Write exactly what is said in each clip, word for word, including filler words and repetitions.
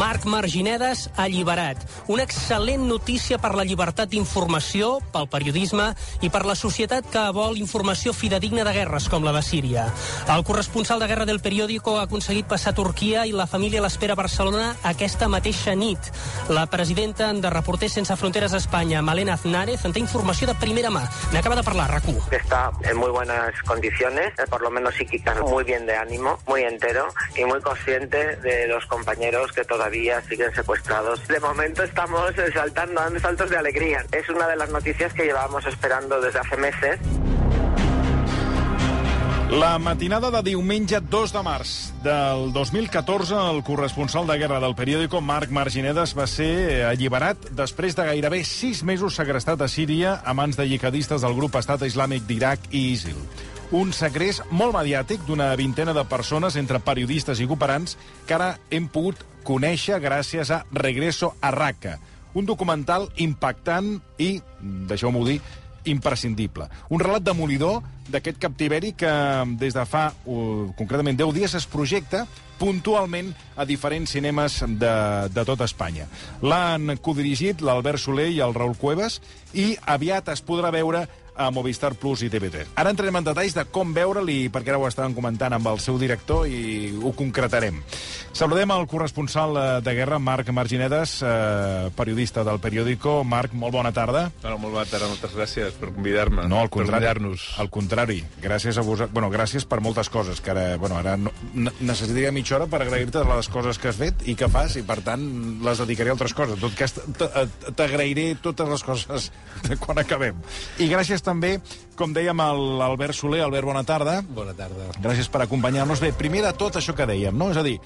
Marc Marginedes alliberat. Una excel·lent notícia per la llibertat d'informació, pel periodisme i per la societat que vol informació fidedigna de guerres com la de Síria. El corresponsal de guerra del Periódico ha aconseguit passar a Turquia i la família l'espera a Barcelona aquesta mateixa nit. La presidenta de Reporters Sense Fronteres a Espanya, Malena Aznárez, en té informació de primera mà. N'acaba de parlar, RAC u. Está en muy buenas condiciones, por lo menos psíquicas, muy bien de ánimo, muy entero y muy consciente de los compañeros que todavía siguen secuestrados. De momento estamos saltando, dando saltos de alegría. Es una de las noticias que llevábamos esperando desde hace meses. La matinada de diumenge dos de març del dos mil catorze, el corresponsal de guerra del Periódico, Marc Marginedes, va ser alliberat després de gairebé sis mesos segrestat a Síria a mans de jihadistes del grup Estat Islàmic d'Iraq i ISIL. Un segrest molt mediàtic d'una vintena de persones entre periodistes i cooperants que ara hem pogut conèixer gràcies a Regreso a Raqqa, un documental impactant i, deixeu-m'ho dir, imprescindible. Un relat demolidor d'aquest captiveri que des de fa, uh, concretament, deu dies es projecta puntualment a diferents cinemes de, de tot Espanya. L'han codirigit l'Albert Soler i el Raül Cuevas i aviat es podrà veure a Movistar Plus i T V tres. Ara entrarem en detalls de com veure'l i perquè ara ho estàvem comentant amb el seu director i ho concretarem. Saludem el corresponsal de guerra, Marc Marginedes, eh, periodista del Periódico. Marc, molt bona tarda. No, molt bona tarda, moltes gràcies per convidar-me. No, al contrari, per convidar-nos. Al contrari, gràcies a vosaltres. Bueno, gràcies per moltes coses, que ara, bueno, ara no, necessitaria mitja hora per agrair-te les coses que has fet i que fas, i per tant les dedicaré a altres coses. En tot cas, t'agrairé totes les coses quan acabem. I gràcies també, com dèiem, a l'Albert Soler. Albert, bona tarda. Bona tarda. Gràcies per acompanyar-nos. Bé, primer de tot això que dèiem, no? És a dir,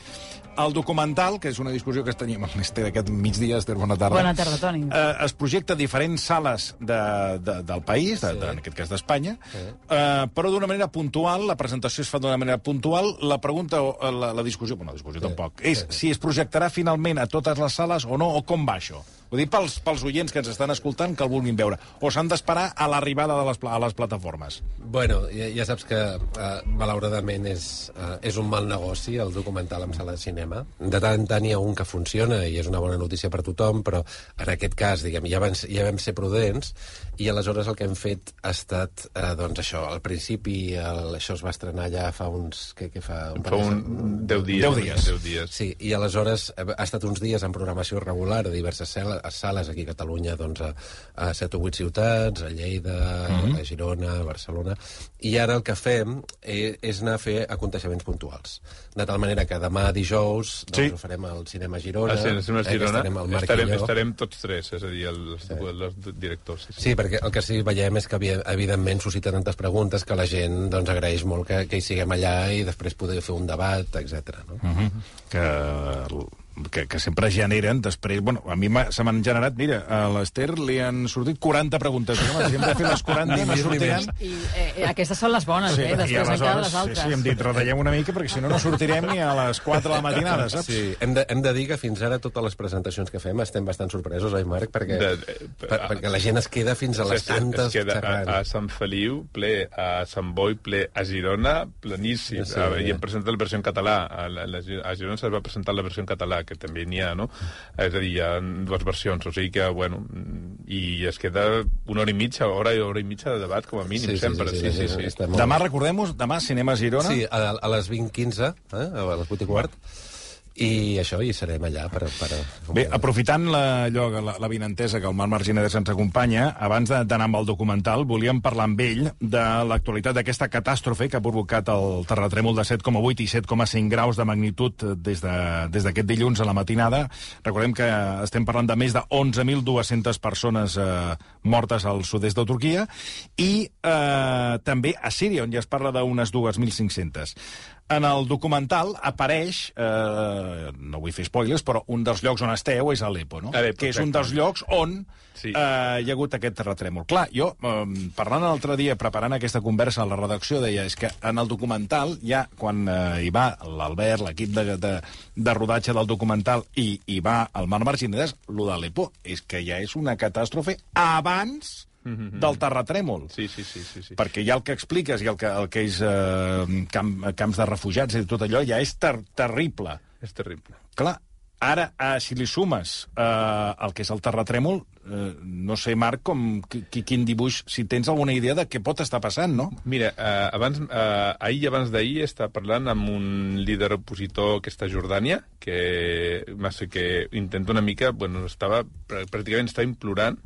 el documental, que és una discussió que teníem amb l'Ester aquest migdia, Ester, bona tarda. Bona tarda, Toni. Eh, es projecta a diferents sales de, de, del país, de, Sí. de, en aquest cas d'Espanya, Sí. eh, però d'una manera puntual, la presentació es fa d'una manera puntual, la pregunta, o la, la discussió, bueno, la discussió Sí. tampoc, és Sí. si es projectarà finalment a totes les sales o no, o com va això? Ho dic pels, pels oients que ens estan escoltant, que el vulguin veure. O s'han d'esperar a l'arribada de les, pla- a les plataformes? Bueno, ja, ja saps que, uh, malauradament, és, uh, és un mal negoci el documental en sala de cinema. De tant en tant hi ha un que funciona i és una bona notícia per tothom, però en aquest cas, diguem, ja vam, ja vam ser prudents i aleshores el que hem fet ha estat, uh, doncs això, al principi el, això es va estrenar ja fa uns... Què, què fa? Un Fa un deu dies. Deu dies. Deu dies. Sí, i aleshores ha estat uns dies en programació regular a diverses sales, a sales aquí a Catalunya, doncs a, a set o vuit ciutats, a Lleida, mm-hmm. a Girona, a Barcelona, i ara el que fem és, és anar a fer aconteixements puntuals. De tal manera que demà dijous doncs, Sí. ho farem al Cinema Girona. Ah, sí, al Cinema eh, que Girona estarem el Marc estarem, i jo. estarem tots tres, és a dir, els, sí. els directors. Sí, sí. Sí, perquè el que sí veiem és que, evidentment, suscita tantes preguntes que la gent doncs, agraeix molt que, que hi siguem allà i després poder fer un debat, etcètera. No? Uh-huh. Que... Que, que sempre generen després... Bueno, a mi se m'han generat... Mira, a l'Ester li han sortit quaranta preguntes. Home, si hem de fer les quaranta, no sortiran... I eh, aquestes són les bones, Sí, eh? i Després encara aleshores, les altres. sí, sí, hem dit, retallem una mica, perquè si no, no sortirem ni a les quatre de la matinada, saps? Sí, hem de, hem de dir que fins ara totes les presentacions que fem estem bastant sorpresos, oi, Marc? Perquè, De- de- per, perquè la gent es queda fins a les Es- es- tantes Es queda a, xerrant. a Sant Feliu, ple, a Sant Boi, ple, a Girona, pleníssim. Sí, Sí, a, I ja. hem presentat la versió en català. A, la, la, a Girona es va presentar la versió en català, que també n'hi ha, no? És a dir, hi ha dues versions, o sigui que, bueno, i es queda una hora i mitja, hora i hora i mitja de debat, com a mínim, Sí, sí, sempre. sí, Sí, sí, sí, sí, sí. està molt Demà, bé. recordem-ho, demà, Cinema Girona. Sí, a, a les vint quinze, eh, a les vuit i quart, i això, hi serem allà per... per... Bé, aprofitant la, allò, la, la vinentesa que el Marc Marginedes ens acompanya, abans de- d'anar amb el documental, volíem parlar amb ell de l'actualitat d'aquesta catàstrofe que ha provocat el terratrèmol de set coma vuit i set coma cinc graus de magnitud des de- des d'aquest dilluns a la matinada. Recordem que estem parlant de més de onze mil dues-centes persones eh, mortes al sud-est de Turquia i eh, també a Síria, on ja es parla d'unes dos mil cinc-centes. En el documental apareix, eh, no vull fer spoilers, però un dels llocs on esteu és Aleppo, no? Aleppo, que és un exacte. dels llocs on Sí. eh, hi ha hagut aquest terratrèmol. Clar, jo, eh, parlant l'altre dia, preparant aquesta conversa a la redacció, deia, és que en el documental, ja quan eh, hi va l'Albert, l'equip de, de, de rodatge del documental, i hi va el Marc Marginedes, lo d'Aleppo és que ja és una catàstrofe abans del terratrèmol. Sí, sí, sí, sí, sí. Perquè ja el que expliques i el que, el que és eh, camp, camps de refugiats i tot allò ja és ter terrible. És terrible. Clar, Ara, eh, si li sumes eh, el que és el terratrèmol, eh, no sé, Marc, com, qui, quin dibuix, si tens alguna idea de què pot estar passant, no? Mira, eh, abans, eh, ahir i abans d'ahir estava parlant amb un líder opositor que està a Jordània, que, que intenta una mica, bueno, estava, pràcticament estava implorant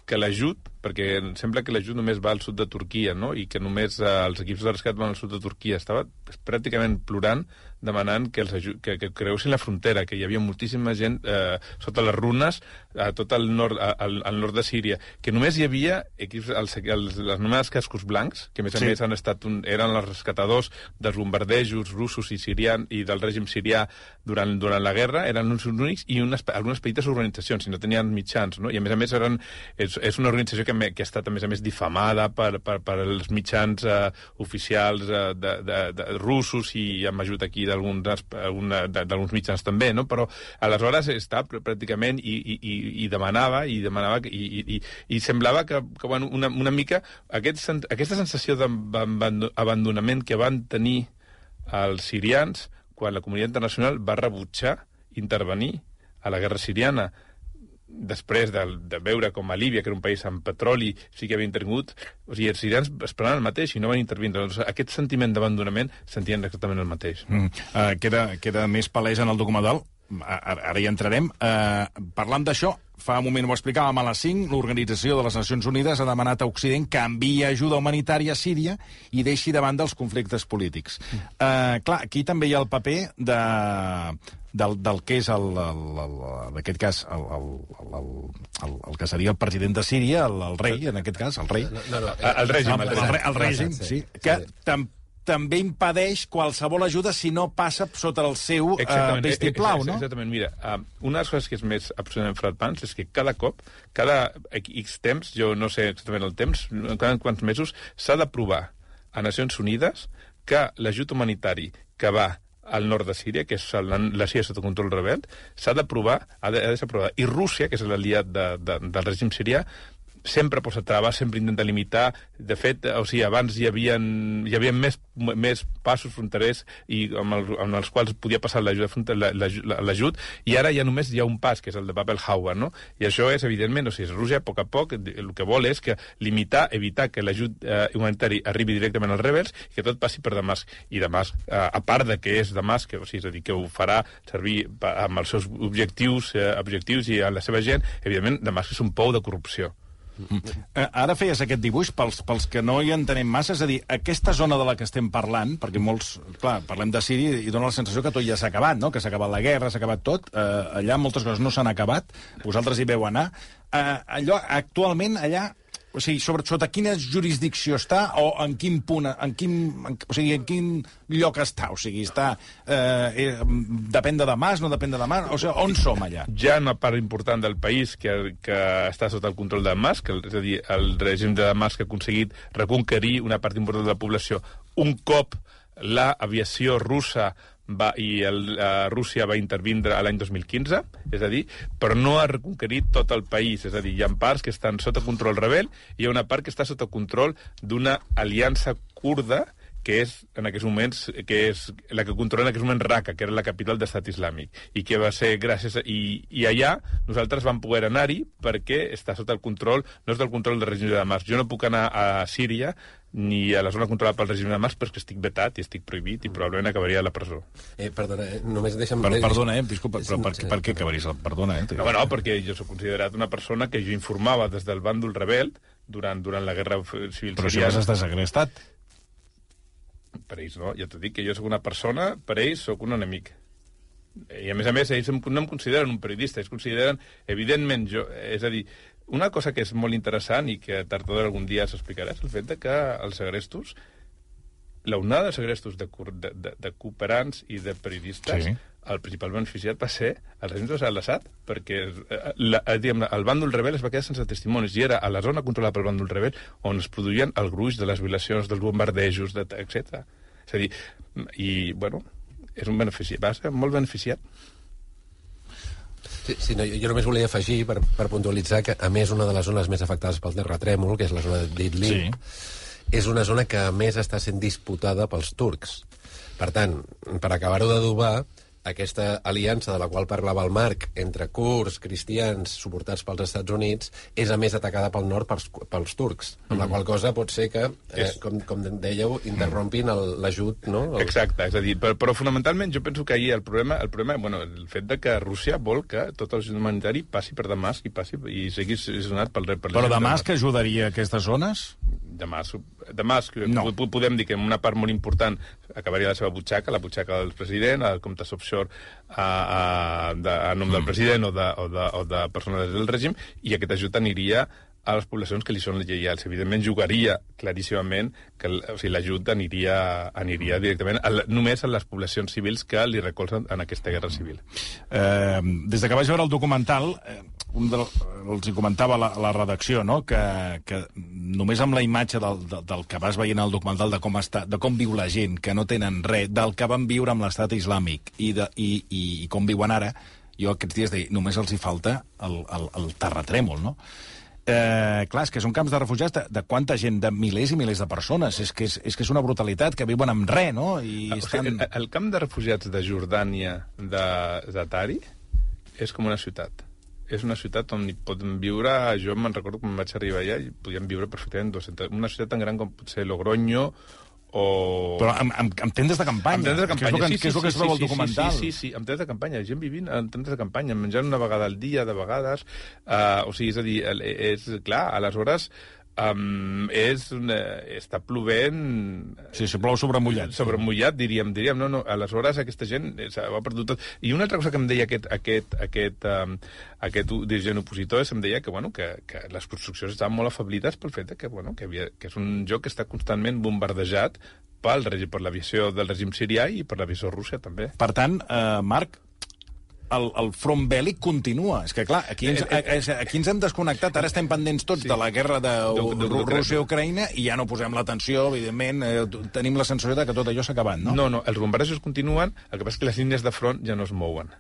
que l'ajut, perquè sembla que l'ajut només va al sud de Turquia, no? I que només eh, els equips de rescat van al sud de Turquia. Estava pràcticament plorant, demanant que, els que, que creussin la frontera, que hi havia moltíssima gent eh, sota les runes a tot el nord, a, al, al nord de Síria, que només hi havia equips, els, els, els anomenats cascos blancs, que a més a sí. més han estat un, eren els rescatadors dels bombardejos russos i sirians i del règim sirià durant, durant la guerra, eren uns únics i unes, algunes petites organitzacions, i no tenien mitjans, no? I a més a més eren, és, és una organització que, me, que ha estat a més a més difamada per, per, per els mitjans eh, oficials eh, de, de, de russos i amb ajut aquí d'alguns mitjans també, no? Però aleshores està pràcticament i, i, i demanava i demanava i, i, i semblava que, que bueno, una, una mica aquest, aquesta sensació d'abandonament que van tenir els sirians quan la comunitat internacional va rebutjar intervenir a la guerra siriana després de, de veure com a Líbia, que era un país amb petroli, sí que havia intervingut, o sigui, els sirians esperaven el mateix i no van intervindre. Doncs aquest sentiment d'abandonament sentien exactament el mateix. Mm. Uh, queda, queda més palès en el documental. Ara, ara hi entrarem. Uh, parlant d'això, fa un moment ho explicàvem a les cinc, l'Organització de les Nacions Unides ha demanat a Occident que enviï ajuda humanitària a Síria i deixi de banda els conflictes polítics. Uh, clar, aquí també hi ha el paper de... Del, del que és, el, el, el, en aquest cas, el, el, el, el, el que seria el president de Síria, el, el rei, en aquest cas, el rei. No, no, no, el, el règim. El, el, el, el règim, sí. Que tam, també impedeix qualsevol ajuda si no passa sota el seu uh, vistiplau, no? Exactament, mira, uh, una de les coses que és més absolutament frapants és que cada cop, cada X temps, jo no sé exactament el temps, cada quants mesos, s'ha d'aprovar a Nacions Unides que l'ajut humanitari que va al nord de Síria, que és la, la Síria sota control rebel, s'ha d'aprovar, ha de, ha de ser aprovada. I Rússia, que és l'aliat de, de, del règim sirià, sempre posa traves, sempre intenta limitar. De fet, o sigui, abans hi havia, hi havia més, més passos fronterers i amb, el, amb els quals podia passar l'ajut, l'ajut, i ara ja només hi ha un pas, que és el de Bab el-Hawa, no? I això és, evidentment, o sigui, Rússia, a poc a poc, el que vol és que limitar, evitar que l'ajut eh, humanitari arribi directament als rebels i que tot passi per Damasc. I Damasc, eh, a part de que és Damasc, o sigui, és a dir, que ho farà servir amb els seus objectius, eh, objectius i a la seva gent, evidentment, Damasc és un pou de corrupció. Mm. Ara feies aquest dibuix pels, pels que no hi entenem massa, és a dir, aquesta zona de la que estem parlant, perquè molts, clar, parlem de Síria i dona la sensació que tot ja s'ha acabat, no? Que s'ha acabat la guerra, s'ha acabat tot, eh, allà moltes coses no s'han acabat, vosaltres hi veu anar. Eh, allò, actualment, allà, o sigui, sobre, sota quina jurisdicció està o en quin punt, en quin, en, o sigui, en quin lloc està? O sigui, està, eh, eh, depèn de Damasc, no depèn de Damasc? O sigui, on som allà? Hi ha una part important del país que, que està sota el control de Damasc, és a dir, el règim de Damasc ha aconseguit reconquerir una part important de la població. Un cop l'aviació russa va, i el, uh, Rússia va intervindre a l'any dos mil quinze, és a dir, però no ha reconquerit tot el país, és a dir, hi ha parts que estan sota control rebel i hi ha una part que està sota control d'una aliança kurda que és en aquests moments, que és la que controla en aquests moments Raqqa, que era la capital d'Estat Islàmic, i que va ser gràcies a, i, i allà nosaltres vam poder anar-hi perquè està sota el control, no és del control del règim de Damasc. Jo no puc anar a Síria ni a la zona controlada pel règim de Damasc perquè estic vetat i estic prohibit i probablement acabaria a la presó. Eh, perdona, eh, només deixa'm... Per, perdona, eh, disculpa, però per, per, per què acabaries? Perdona, eh? No, no, perquè jo soc considerat una persona que jo informava des del bàndol rebel durant, durant la guerra civil però siriana. Però si vas estar segrestat. Per ells no, ja t'ho dic, que jo sóc una persona, per ells sóc un enemic. I a més a més, ells no em consideren un periodista, ells consideren, evidentment, jo, és a dir, una cosa que és molt interessant i que tard o d'hora algun dia s'explicarà és el fet de que els segrestos, l'onada de segrestos de, de, de, de cooperants i de periodistes, sí. El principal beneficiat va ser el règim de Assad, perquè la, diguem, el bàndol rebel es va quedar sense testimonis i era a la zona controlada pel bàndol rebel on es produïen el gruix de les violacions, dels bombardejos, de, etcètera. És a dir, i, bueno, és un beneficiat, va ser molt beneficiat. Sí, sí, no, jo només volia afegir, per, per puntualitzar, que a més una de les zones més afectades pel terratrèmol, que és la zona d'Idlib, sí. És una zona que a més està sent disputada pels turcs. Per tant, per acabar-ho d'adobar, aquesta aliança de la qual parlava el Marc entre kurds, cristians, suportats pels Estats Units, és a més atacada pel nord pels, pels turcs, amb la qual cosa pot ser que, eh, com, com dèieu, interrompin l'ajut, no? El... Exacte, és a dir, però, però fonamentalment jo penso que ahir el problema, el problema, bueno, el fet de que Rússia vol que tot el humanitari passi per Damasc i passi i sigui sonat pel rei. Però Damasc ajudaria aquestes zones? Damasc, Damasc no. Podem dir que en una part molt important acabaria la seva butxaca, la butxaca del president, el comptes offshore a, a, de, a nom del president o de, o de, o de persones del règim, i aquest ajut aniria a les poblacions que li són lleials. Evidentment, jugaria claríssimament que o sigui, l'ajut aniria, aniria directament a, només a les poblacions civils que li recolzen en aquesta guerra civil. Eh, des de que vaig veure el documental, eh, un de, els hi comentava la, la redacció, no? que, que només amb la imatge del, del, del que vas veient al documental de com, està, de com viu la gent, que no tenen res, del que van viure amb l'estat islàmic i, de, i, i, i com viuen ara, jo aquests dies deia, només els hi falta el, el, el terratrèmol, no? Eh, clar, és que són camps de refugiats de, de quanta gent, de milers i milers de persones. És que és, és, que és una brutalitat, que viuen amb res, no? I o estan... sigui, el, el camp de refugiats de Jordània, de Zatari, és com una ciutat. És una ciutat on hi poden viure, jo me'n recordo quan vaig arribar allà, i podien viure perfectament dues-centes, una ciutat tan gran com pot ser Logroño, o... Però amb, amb, amb tendes de campanya. Amb tendes de campanya, que és el que, sí, que, és el que sí, es troba sí, al documental. Sí, sí, sí, sí, amb tendes de campanya, gent vivint en tendes de campanya, menjant una vegada al dia, de vegades, uh, o sigui, és a dir, és clar, aleshores... Um, és una, està plovent... Sí, si plou sobre mullat. Sobre mullat, diríem, diríem, no, no, aleshores aquesta gent ho ha perdut tot. I una altra cosa que em deia aquest, aquest, aquest, um, aquest dirigent opositor és em deia que, bueno, que, que les construccions estaven molt afeblides pel fet de que, bueno, que, havia, que és un lloc que està constantment bombardejat pel règim, per l'aviació del règim sirià i per l'aviació rússia, també. Per tant, eh, Marc, el, el front bèl·lic continua. És que, clar, aquí ens, aquí ens hem desconnectat. Ara estem pendents tots sí. de la guerra de, de, de Rússia-Ucraïna i ja no posem l'atenció, evidentment. Eh, tenim la sensació de que tot allò s'ha acabat, no? No, no, els bombardejos continuen, el que passa és que les línies de front ja no es mouen.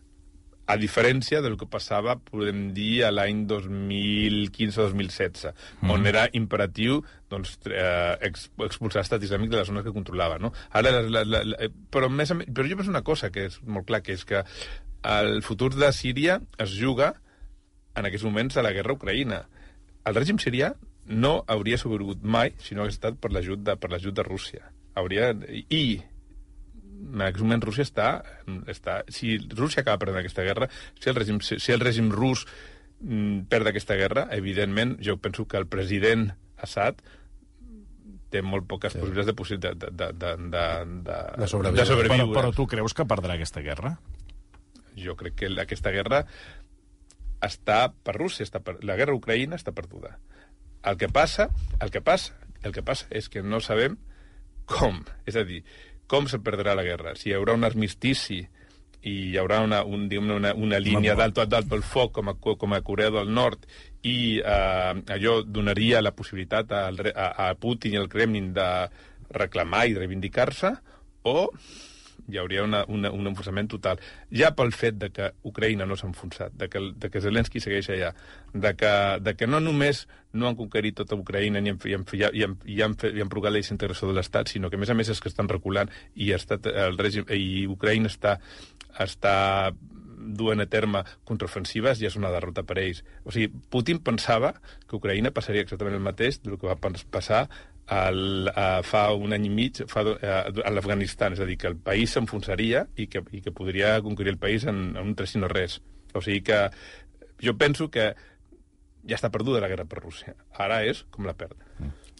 A diferència del que passava, podem dir, a l'any dos mil quinze dos mil setze, mm. on era imperatiu doncs, eh, expulsar l'estat islàmic de les zones que controlava. No? Ara, la, la, la, però, més, però jo penso una cosa que és molt clar, que és que el futur de Síria es juga en aquests moments a la guerra a Ucraïna. El règim sirià no hauria sobreviscut mai si no hagués estat per l'ajut de, per l'ajut de Rússia. Hauria... I en aquest moment Rússia està, està... Si Rússia acaba perdent aquesta guerra, si el règim, si el règim rus mm, perd aquesta guerra, evidentment, jo penso que el president Assad té molt poques sí. possibilitats de, de, de, de, de, de, de sobreviure. De sobreviure. Però, però tu creus que perdrà aquesta guerra? Jo crec que aquesta guerra està per Rússia, està per... la guerra a Ucraïna està perduda. El que passa, el que passa, el que passa és que no sabem com, és a dir, com se perdrà la guerra. Si hi haurà un armistici i hi haurà una, un, una, una línia d'alt dalt pel foc com a, com a Corea del Nord i eh, allò donaria la possibilitat a, a, a Putin i al Kremlin de reclamar i de reivindicar-se, o hi hauria una, una, un enfonsament total. Ja pel fet de que Ucraïna no s'ha enfonsat, de que, de que Zelensky segueix allà, de que, de que no només no han conquerit tota Ucraïna ni han, i han, i han, i han, i han provocat la desintegració de l'Estat, sinó que, a més a més, és que estan reculant i, està, el règim, i Ucraïna està, està duent a terme contraofensives, ja és una derrota per ells. O sigui, Putin pensava que Ucraïna passaria exactament el mateix del que va passar el, uh, fa un any i mig fa, uh, a l'Afganistan, és a dir, que el país s'enfonsaria i que, i que podria conquerir el país en, en un tres i no res. O sigui que jo penso que ja està perduda la guerra per Rússia. Ara és com la perd.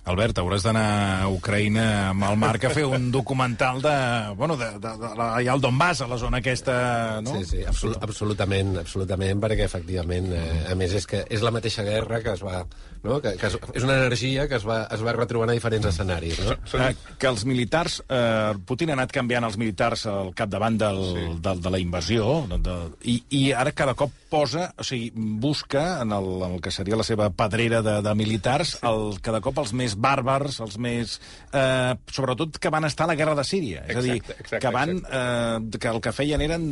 Albert, hauràs d'anar a Ucraïna amb el Marc a fer un documental de... Bueno, de, de, de, de allà al Donbass, a la zona aquesta, no? Sí, sí, absolut, absolutament, absolutament, perquè efectivament, eh, a més, és que és la mateixa guerra que es va... No? Que, que es, és una energia que es va, es va retrobant a diferents escenaris, no? Eh, que els militars... Eh, Putin ha anat canviant els militars al capdavant del, sí. del, de la invasió, de, de, i, i ara cada cop posa, o sigui, busca en el, en el que seria la seva pedrera de, de militars, el, cada cop els més bàrbars, els més... Eh, sobretot que van estar a la guerra de Síria. És a dir, exacte, exacte, que van... Eh, que el que feien eren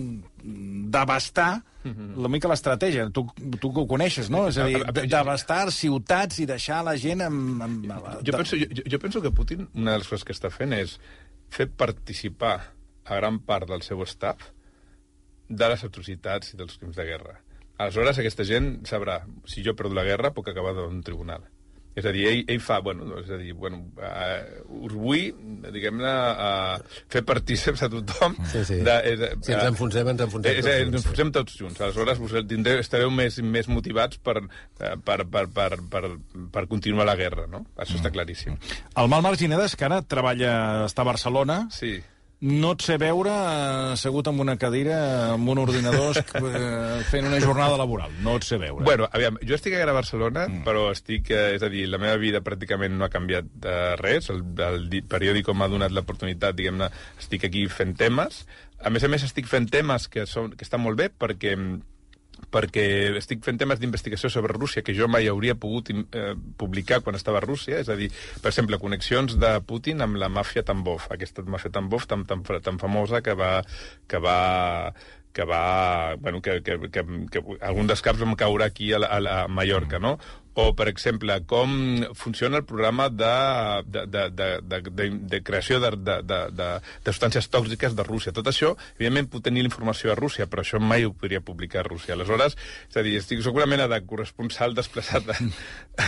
devastar mm-hmm. una mica l'estratègia. Tu, tu que ho coneixes, no? És a dir, devastar ciutats i deixar la gent amb... amb jo, penso, jo, jo penso que Putin, una de les coses que està fent és fer participar a gran part del seu staff de les atrocitats i dels crims de guerra. Aleshores, aquesta gent sabrà, si jo perdo la guerra, puc acabar en un tribunal. És a dir, ell, ell fa, bueno, és a dir, bueno, uh, us vull, diguem-ne, uh, fer partíceps a tothom. Sí, sí. De, és, si ens enfonsem, ens enfonsem és, tots és, junts. Ens enfonsem tots junts. Aleshores, vos tindreu, estareu més, més motivats per, per, per, per, per, per continuar la guerra, no? Això està claríssim. El Mal Marginedes, que ara treballa, està a Barcelona, Sí. no et sé veure eh, assegut en una cadira, amb un ordinador, eh, fent una jornada laboral. No et sé veure. Bueno, aviam, jo estic ara a Barcelona, mm. però estic, eh, és a dir, la meva vida pràcticament no ha canviat eh, res. El, el periòdico m'ha donat l'oportunitat, diguem-ne, estic aquí fent temes. A més a més, estic fent temes que, són, que estan molt bé perquè perquè estic fent temes d'investigació sobre Rússia que jo mai hauria pogut eh, publicar quan estava a Rússia, és a dir, per exemple, connexions de Putin amb la màfia Tambov, aquesta màfia Tambov tan, tan, tan famosa que va, que va que va, bueno, que, que, que, que algun dels caps vam caure aquí a, la, a Mallorca, no? O, per exemple, com funciona el programa de, de, de, de, de, de, de creació de, de, de, de, de substàncies tòxiques de Rússia. Tot això, evidentment, puc tenir la informació a Rússia, però això mai ho podria publicar a Rússia. Aleshores, és a dir, estic, soc una mena de corresponsal desplaçat de,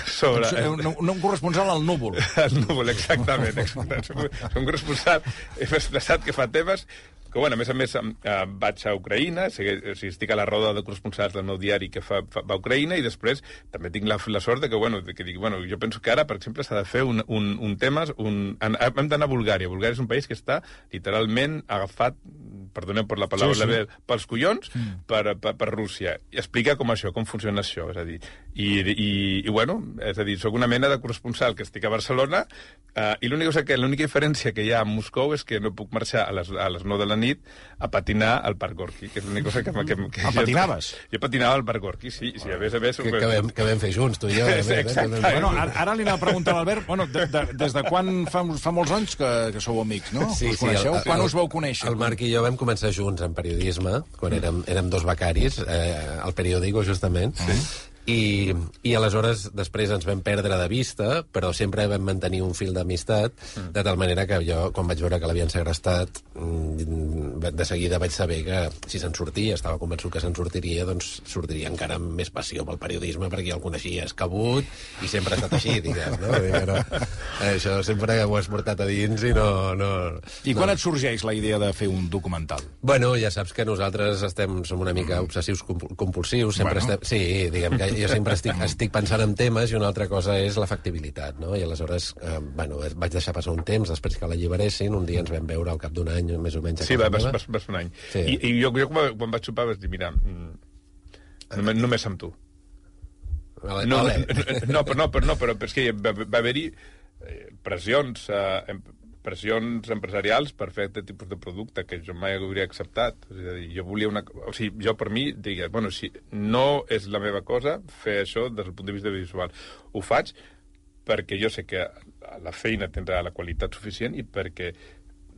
sobre... No, no un corresponsal al núvol. Al núvol, exactament. exactament. Soc un corresponsal desplaçat que fa temes que, bueno, a més a més, eh, vaig a Ucraïna, sigui, o sigui, estic a la roda de corresponsals del meu diari que fa, fa, va a Ucraïna, i després també tinc la, la sort de que, bueno, de que dic, bueno, jo penso que ara, per exemple, s'ha de fer un, un, un tema... Un, hem d'anar a Bulgària. Bulgària és un país que està literalment agafat, perdoneu per la paraula, sí, sí. pels collons, mm. per, per, per Rússia. I explica com això, com funciona això, és a dir, i, i, i bueno, és a dir, soc una mena de corresponsal que estic a Barcelona, eh, i l'única cosa que, l'única diferència que hi ha a Moscou és que no puc marxar a les, a les nou de la nit a patinar al Parc Gorki, que és l'única cosa que... que, que ah, patinaves? Jo, jo patinava al Parc Gorki, sí, sí, a més a més... Que, que, vam, que vam fer junts, tu i jo. Sí, exacte. Bueno, ara, ara li anava a preguntar a l'Albert, bueno, de, de, des de quan fa, fa molts anys que, que sou amics, no? Sí, us coneixeu? Sí, el, quan el, us vau conèixer? El Marc i jo vam començar junts en periodisme, quan érem, érem dos becaris, eh, al periòdico, justament, sí. I, i aleshores després ens vam perdre de vista, però sempre vam mantenir un fil d'amistat, mm. de tal manera que jo, quan vaig veure que l'havien segrestat, de seguida vaig saber que si se'n sortia, estava convençut que se'n sortiria, doncs sortiria encara amb més passió pel periodisme, perquè ja el coneixia escabut, i sempre ha estat així, diguem, no? Però, això sempre ho has portat a dins i no... no I quan no. et sorgeix la idea de fer un documental? Bueno, ja saps que nosaltres estem, som una mica obsessius compulsius, sempre bueno. estem... Sí, diguem que jo sempre estic, estic pensant en temes, i una altra cosa és la factibilitat, no? I aleshores, eh, bueno, vaig deixar passar un temps després que l'alliberessin, un dia ens vam veure al cap d'un any, més o menys. Sí, va, vas, vas, vas un any. Sí. I, i jo, jo quan, quan vaig sopar vaig dir, mira, només, només amb tu. Vale, no, vale. no, però, no, però, no, però és que va, va haver-hi pressions... Eh, pressions empresarials per fer aquest tipus de producte que jo mai hauria acceptat. És a dir, jo volia una... O sigui, jo per mi, digues, bueno, si no és la meva cosa fer això des del punt de vista visual. Ho faig perquè jo sé que la feina tindrà la qualitat suficient i perquè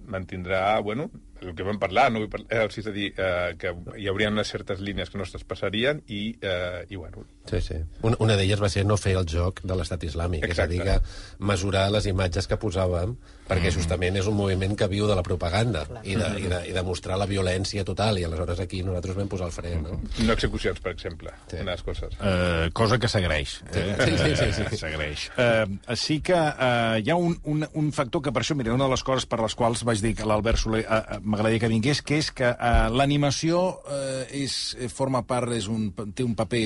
mantindrà, bueno, el que vam parlar, no vull parlar, és a dir, eh, que hi haurien unes certes línies que no es traspassarien i, eh, i bueno... Sí, sí. Una, una d'elles va ser no fer el joc de l'estat islàmic, exacte. És a dir, que mesurar les imatges que posàvem, perquè justament és un moviment que viu de la propaganda i de, i, de, i de mostrar la violència total, i aleshores aquí nosaltres vam posar el fre, no? No execucions, per exemple, sí. Una de les coses. Uh, cosa que s'agraeix. Sí, sí, sí. sí, sí. S'agraeix. Uh, sí que uh, hi ha un, un, un factor que per això, mira, una de les coses per les quals vaig dir que l'Albert Soler uh, m'agradaria que vingués, que és que uh, l'animació uh, és, forma part, és un, té un paper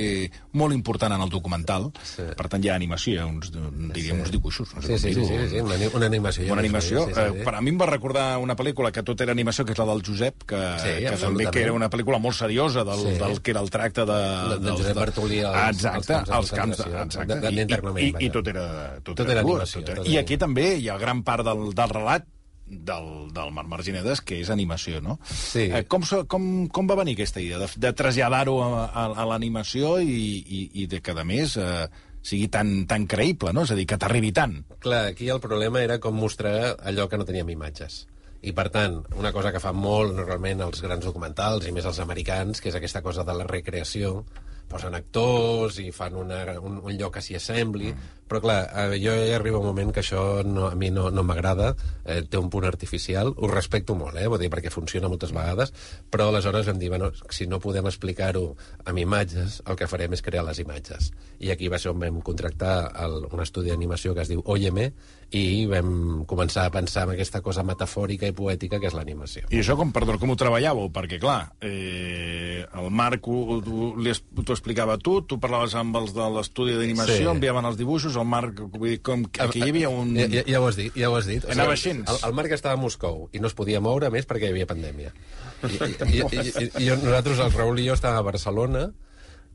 molt important en el documental. Sí. Per tant, hi ha animació, hi ha uns, diríem, sí. uns dibuixos. No sé sí, sí, sí, sí, sí, una, una animació. Una animació. Sí, sí, sí. Uh, per a mi em va recordar una pel·lícula que tot era animació, que és la del Josep, que, sí, que també que era una pel·lícula molt seriosa del, sí. del que era el tracte de... De, de Josep Bartolí als, exacte, als camps de... Exacte. De, de, I, i, I tot era... Tot, tot era, era animació. Tot era, I aquí també hi ha gran part del, del relat del, del Marc Marginedes, que és animació, no? Sí. Eh, com, com, com va venir aquesta idea de, de traslladar-ho a, a, a l'animació i, i, i de que, a més, eh, sigui tan, tan creïble, no? És a dir, que t'arribi tant. Clar, aquí el problema era com mostrar allò que no teníem imatges. I, per tant, una cosa que fan molt, normalment, els grans documentals, i més els americans, que és aquesta cosa de la recreació, posen actors i fan una, un, un lloc que s'hi assembli, però clar, jo ja arriba un moment que això no, a mi no, no m'agrada, eh, té un punt artificial, ho respecto molt, eh, vull dir, perquè funciona moltes vegades, però aleshores vam dir, bueno, si no podem explicar-ho amb imatges, el que farem és crear les imatges. I aquí va ser on vam contractar el, un estudi d'animació que es diu Óyeme, i vam començar a pensar en aquesta cosa metafòrica i poètica que és l'animació. I això com, perdó, com ho treballàveu? Perquè, clar, eh, el Marc t'ho explicava tu, tu parlaves amb els de l'estudi d'animació, sí. enviaven els dibuixos, el Marc, vull dir, com, aquí hi havia un... Ja, ja, ja ho has dit, ja ho has dit. Anava així. El, el Marc estava a Moscou i no es podia moure més perquè hi havia pandèmia. I, i, i, i, i nosaltres, el Raül i jo, estàvem a Barcelona,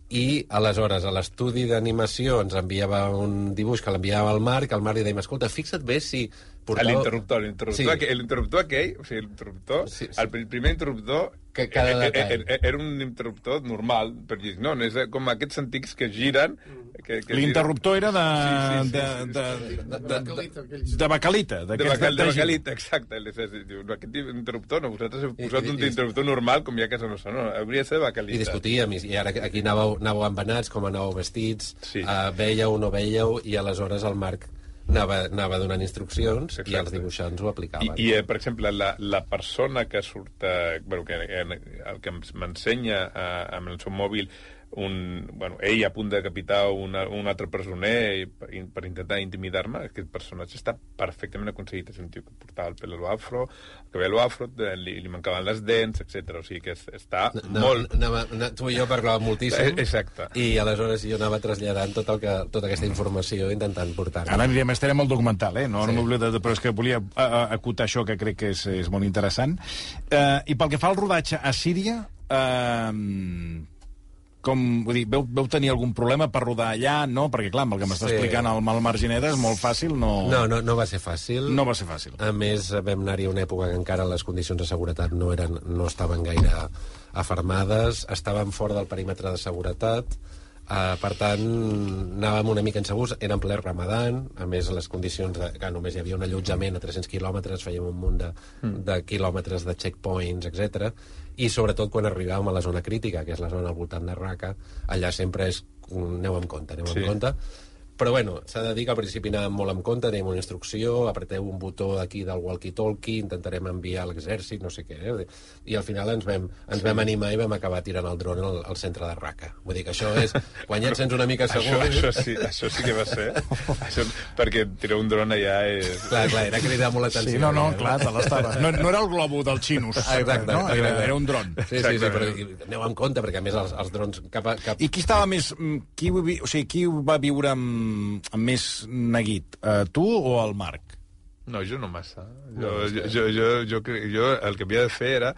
i aleshores a l'estudi d'animació ens enviava un dibuix que l'enviava al Marc, el Marc li deia, escolta, fixa't bé si... Portava... L'interruptor, l'interruptor, sí. l'interruptor aquell, o sigui, l'interruptor, sí, sí. el primer interruptor que cada era, era un interruptor normal, perquè no, no és com aquests antics que giren... Que, que l'interruptor era de... Sí, sí, sí, de, sí, de, sí, sí. de, de, de, de bacalita. De, bacal, de bacalita, exacte. Aquest interruptor, no, vosaltres heu posat un interruptor normal, com hi ha a casa nostra, no, hauria de ser de bacalita. I discutíem, i ara aquí anàveu, anàveu embenats, com anàveu vestits, sí. uh, veieu o no veieu, i aleshores el Marc anava, anava donant instruccions. Exacte. I els dibuixants ho aplicaven. I, i eh, per exemple, la, la persona que surt, eh, bueno, que, el que m'ensenya eh, amb el seu mòbil un, bueno, ell a punt de decapitar una, un altre presoner per, per intentar intimidar-me, aquest personatge està perfectament aconseguit. És un tio que portava el pèl a l'afro, el cabell a l'afro, li, li mancaven les dents, etcètera. O sigui que està no, molt... Anava, anava, tu i jo parlàvem moltíssim. Exacte. I aleshores jo anava traslladant tot el que, tota aquesta informació, intentant portar-la. Ara anirem, estarem al documental, eh? No, sí. no m'oblido, però és que volia acotar això, que crec que és, és molt interessant. Uh, I pel que fa al rodatge a Síria... Uh, com, vull dir, veu, veu tenir algun problema per rodar allà, no? Perquè, clar, amb el que m'està sí. explicant el Mal Margineda és molt fàcil, no... No, no, no va ser fàcil. No va ser fàcil. A més, vam anar-hi a una època que encara les condicions de seguretat no, eren, no estaven gaire afermades, estàvem fora del perímetre de seguretat, uh, per tant, anàvem una mica insegurs, era en ple Ramadan, a més, les condicions de, que només hi havia un allotjament a tres-cents quilòmetres, fèiem un munt de, mm. de quilòmetres de checkpoints, etcètera. I sobretot quan arribàvem a la zona crítica, que és la zona al voltant de Raqqa, allà sempre és... aneu amb compte, aneu sí. amb compte. Però, bueno, s'ha de dir que al principi anàvem molt amb compte, tenim una instrucció, apreteu un botó d'aquí del walkie-talkie, intentarem enviar l'exèrcit, no sé què, eh? I al final ens vam, ens sí. vam animar i vam acabar tirant el dron al, al centre de Raqqa. Vull dir que això és... Quan ja et sents una mica segur... Això, això, sí, això sí que va ser. Això, perquè tirar un dron allà és... Clar, clar, era cridar molt l'atenció. Sí, no, no, clar, te l'estava. No, no era el globo del Xinus. Exacte. No? Era, era un dron. Sí, sí, sí, però aneu amb compte, perquè a més els, els drons... Cap a, cap... I qui estava més... Qui, o sigui, qui va viure amb, amb més neguit, uh, tu o el Marc? No, jo no massa. Jo, jo, jo, jo, jo, jo el que havia de fer era...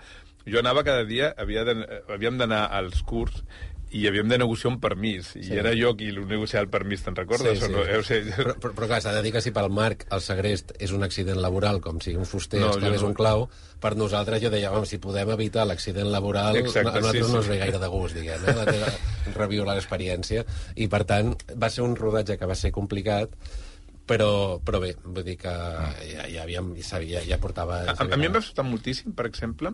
Jo anava cada dia, havia de, havíem d'anar als curs i havíem de negociar un permís. I sí. era jo qui el negociava el permís, te'n recordes? Sí, sí. O no? Eh, o sigui... però, però, però clar, s'ha de dir que si pel Marc el segrest és un accident laboral, com si un fuster no, es clavés no. un clau, per nosaltres jo deia, si podem evitar l'accident laboral, exacte, a nosaltres sí, no ens sí. ve gaire de gust, diguem, eh? La teva, reviolar l'experiència. I, per tant, va ser un rodatge que va ser complicat, però, però bé, vull dir que ja, ja, havíem, ja, ja portava... A, a mi em va sobtar moltíssim, per exemple,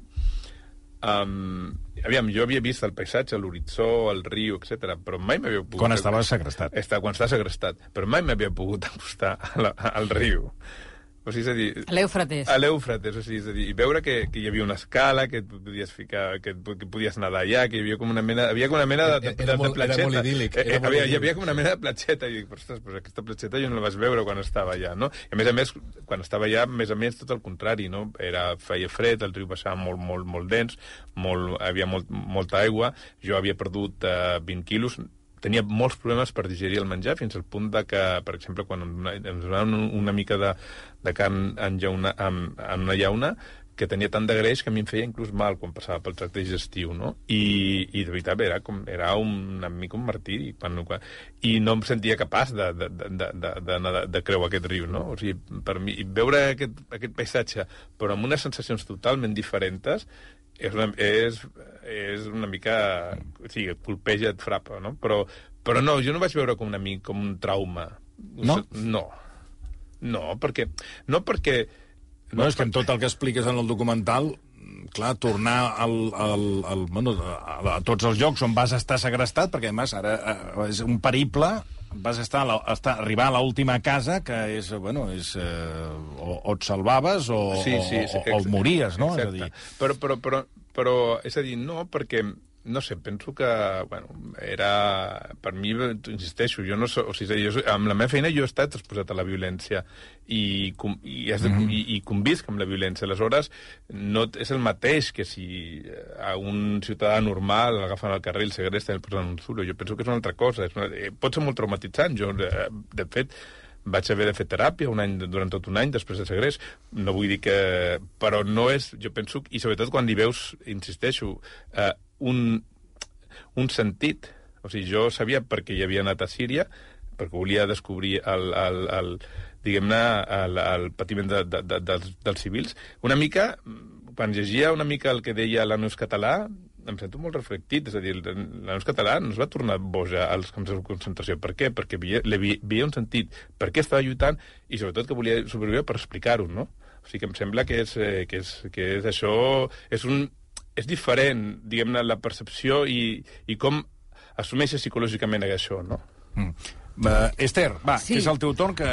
um, aviam, jo havia vist el paisatge, l'horitzó, el riu, etcètera, però mai m'havia pogut... Quan estava segrestat. Està, quan estava segrestat, però mai m'havia pogut acostar a la, al riu. O sigui, és a dir... A l'Eufrates. A l'Eufrates, o sigui, és a dir, i veure que, que hi havia una escala, que et podies ficar, que, que podies nedar allà, que hi havia com una mena, havia com una mena de, de, de, de, de platxeta. Era molt idíl·lic. Eh, eh, havia, hi havia com una mena de platxeta, i dic, ostres, pues aquesta platxeta jo no la vaig veure quan estava allà, no? I a més a més, quan estava allà, més a més, tot el contrari, no? Era, feia fred, el riu passava molt, molt, molt dens, molt, havia molt, molta aigua, jo havia perdut uh, vint quilos, tenia molts problemes per digerir el menjar, fins al punt de que, per exemple, quan ens donaven una mica de, de carn en, llauna, en, en una llauna, que tenia tant de greix que a mi em feia inclús mal quan passava pel tracte digestiu, no? I, i de veritat era, com, era un, una mica un martiri. Quan, quan, I no em sentia capaç de, de, de, de, de, de, de creuar aquest riu, no? O sigui, per mi, veure aquest, aquest paisatge, però amb unes sensacions totalment diferents, és una, és, és una mica... O sigui, et colpeja, et frapa, no? Però, però no, jo no vaig veure com, una, com un trauma. No? No. No, perquè... No perquè... No, no és que en tot el que expliques en el documental, clar, tornar al, al, al, bueno, a, a tots els llocs on vas estar segrestat, perquè, a més, ara és un periple vas estar, a la, estar arribar a l'última casa, que és, bueno, és, eh, o, o et salvaves o, sí, sí, sí, o, o, o mories, no? Exacte. És a dir... Però, però, però, però, és a dir, no, perquè... No sé, penso que, bueno, era... Per mi, insisteixo, jo no soc... O sigui, jo, amb la meva feina jo he estat exposat a la violència i, com, i, has de, mm. i, i convisc amb la violència. Aleshores, no és el mateix que si a un ciutadà normal l'agafen al carrer i el segresten i el posen un zulo. Jo penso que és una altra cosa. És una, pot ser molt traumatitzant. Jo, de fet, vaig haver de fer teràpia un any, durant tot un any després de segrest. No vull dir que... Però no és... Jo penso... I sobretot quan hi veus, insisteixo... Eh, Un, un sentit. O sigui, jo sabia perquè hi havia anat a Síria, perquè volia descobrir el, el, el, diguem-ne, el, el patiment de, de, de, dels, dels civils. Una mica, quan llegia una mica el que deia l'Anus català, em sento molt reflectit. És a dir, l'Anus català no es va tornar boja als camps de concentració. Per què? Perquè veia, veia un sentit. Per què estava lluitant? I sobretot que volia sobreviure per explicar-ho, no? O sigui, que em sembla que és, que és, que és això... És un... És diferent, diguem-ne, la percepció i, i com assumeixes psicològicament això, no? Mm. Uh, Esther, va, sí. que és el teu torn, que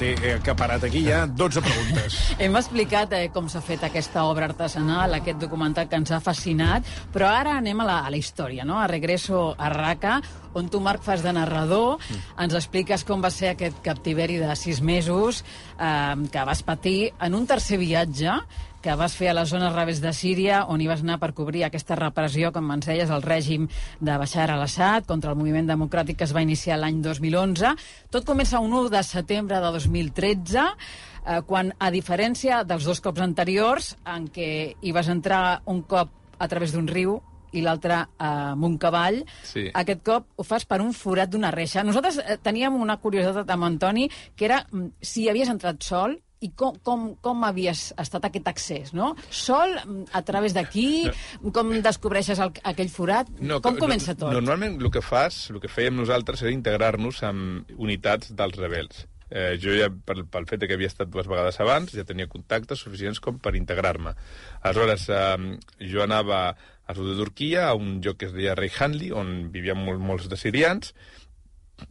t'he acaparat aquí ja dotze preguntes. Hem explicat eh, com s'ha fet aquesta obra artesanal, aquest documental que ens ha fascinat, però ara anem a la, a la història, no? A Regreso a Raqqa, on tu, Marc, fas de narrador, mm. ens expliques com va ser aquest captiveri de sis mesos eh, que vas patir en un tercer viatge que vas fer a les zones rebels de Síria, on hi vas anar per cobrir aquesta repressió, com ens deies, el règim de Bashar al-Assad contra el moviment democràtic que es va iniciar l'any dos mil onze. Tot comença un u de setembre de dos mil tretze, eh, quan, a diferència dels dos cops anteriors, en què hi vas entrar un cop a través d'un riu i l'altre eh, amb un cavall, sí. Aquest cop ho fas per un forat d'una reixa. Nosaltres eh, teníem una curiositat amb Antoni, que era si havies entrat sol, i com, com, com havies estat aquest accés, no? Sol, a través d'aquí, no. Com descobreixes el, aquell forat? No, com comença tot? Normalment el que fas, el que fèiem nosaltres era integrar-nos amb unitats dels rebels. Eh, jo ja, pel, pel fet que havia estat dues vegades abans, ja tenia contactes suficients com per integrar-me. Aleshores, eh, jo anava a sud de Turquia, a un lloc que es deia Reyhanli, on vivien molt, molts de sirians,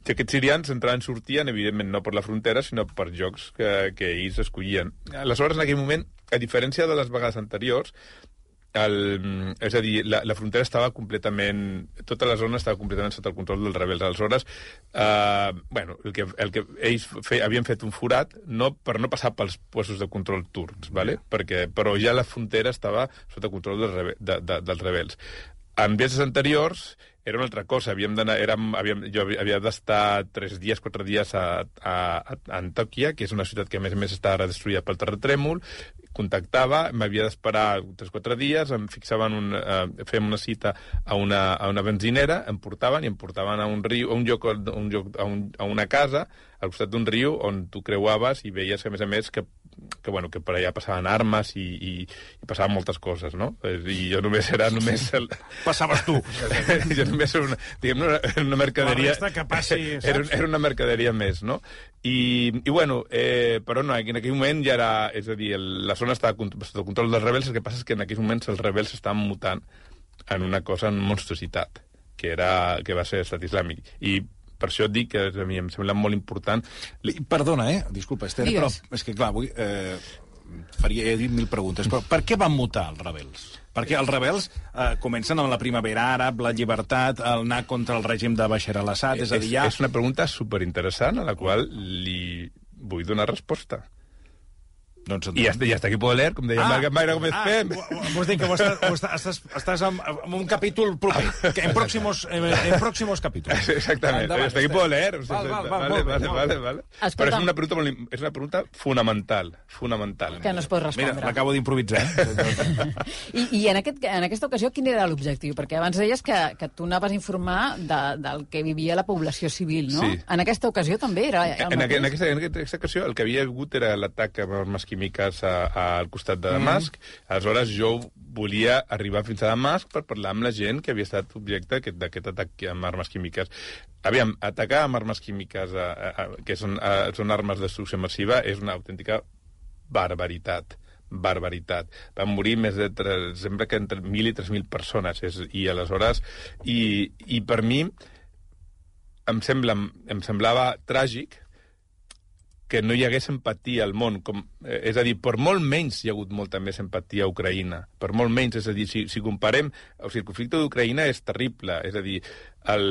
que aquests sirians entraven i sortien, evidentment no per la frontera, sinó per llocs que, que ells escollien. Aleshores, en aquell moment, a diferència de les vegades anteriors, el, és a dir, la, la frontera estava completament... Tota la zona estava completament sota el control dels rebels. Aleshores, eh, bueno, el que, el que ells fe, havien fet un forat no, per no passar pels puestos de control turcs, ¿vale? Perquè, però ja la frontera estava sota control dels, rebe, de, de, dels rebels. En viatges anteriors era una altra cosa. Havíem d'anar, érem, havíem, jo havia d'estar tres dies, quatre dies a, a, a Antòquia, que és una ciutat que a més a més està ara destruïda pel terratrèmol. Contactava, m'havia d'esperar tres o quatre dies, em fixaven un, eh, fèiem una cita a una, a una benzinera, em portaven i em portaven a un riu, a un lloc, a, un lloc, a, un, a una casa, al costat d'un riu, on tu creuaves i veies, a més a més, que que, bueno, que per allà passaven armes i, i, i passaven moltes coses, no? I jo només era només... El... Passaves tu. Jo només era una, diguem, una, una mercaderia... La resta que passi, saps? Era, era una mercaderia més, no? I, i bueno, eh, però no, en aquell moment ja era... És a dir, el, la zona estava sota el control dels rebels, el que passa és que en aquells moments els rebels estaven mutant en una cosa, en monstruositat, que, era, que va ser l'estat islàmic. I per això et dic que a mi em sembla molt important... Perdona, eh? Disculpa, Esther, Digues. però és que, clar, avui eh, faria, he dit mil preguntes, però per què van mutar els rebels? Perquè els rebels eh, comencen amb la primavera àrab, la llibertat, el anar contra el règim de Bashar al-Assad, és a dir, ja... És una pregunta superinteressant a la qual li vull donar resposta. Doncs I hasta, i hasta aquí puedo leer, com deia ah, Marc Maire Gómez ah, Fem. Vols dir que ho estàs, ho estàs, estàs, estàs en, en un capítol proper, que en pròximos, en pròximos capítols. Exactament, endavant, hasta aquí puedo leer. Val, val, val, vale, val, vale, val, vale, vale. Però és una, pregunta molt, és una pregunta fonamental, fonamental. Que no es pot respondre. Mira, l'acabo d'improvisar. Eh? I, I en, aquest, en aquesta ocasió, quin era l'objectiu? Perquè abans deies que, que tu anaves a informar de, del que vivia la població civil, no? Sí. En aquesta ocasió també era el en, en, aquesta, en aquesta ocasió el que havia hagut era l'atac amb armes químiques a, a al costat de Damasc. Mm. Aleshores, jo volia arribar fins a Damasc per parlar amb la gent que havia estat objecte d'aquest atac amb armes químiques. Aviam, atacar amb armes químiques, a, a, a, que són, a, són armes de destrucció massiva, és una autèntica barbaritat. Barbaritat. Van morir més de... tres, sembla que entre mil i tres mil persones. És, I aleshores... I, i per mi... em, sembla, em semblava tràgic que no hi hagués empatia al món. Com, eh, és a dir, per molt menys hi ha hagut molta més empatia a Ucraïna. Per molt menys, és a dir, si, si comparem... O sigui, el conflicte d'Ucraïna és terrible. És a dir, el,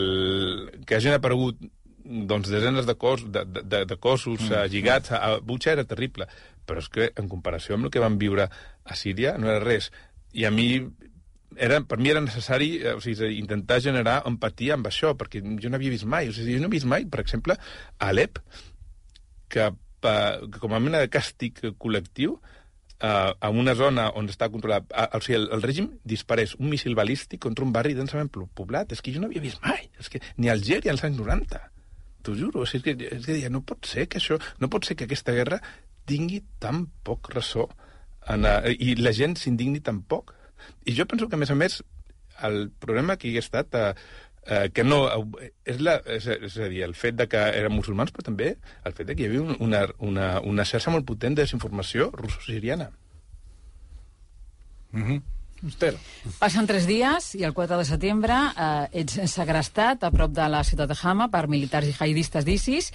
que hagin aparegut doncs, desenes de, cos, de, de, de cossos mm. uh, lligats a, a Butxa era terrible. Però és que, en comparació amb el que van viure a Síria, no era res. I a mi... Era, per mi era necessari o sigui, intentar generar empatia amb això, perquè jo no havia vist mai. O sigui, jo no he vist mai, per exemple, a Alep, que, que com a mena de càstig col·lectiu, eh, en una zona on està controlat... Eh, o sigui, el, el règim disparés un míssil balístic contra un barri densament poblat. És que jo no havia vist mai. És que ni a Algèria als anys noranta. T'ho juro. És que, és que no pot ser que això... No pot ser que aquesta guerra tingui tan poc ressò en, uh, i la gent s'indigni tan poc. I jo penso que, a més a més, el problema aquí ha estat uh, uh, que no... Uh, és, la, és, és a dir, el fet de que eren musulmans, però també el fet de que hi havia una, una, una xarxa molt potent de desinformació russo-siriana. Mhm. Esther. Passen tres dies i el quatre de setembre eh, ets segrestat a prop de la ciutat de Hama per militars i jihadistes d'ISIS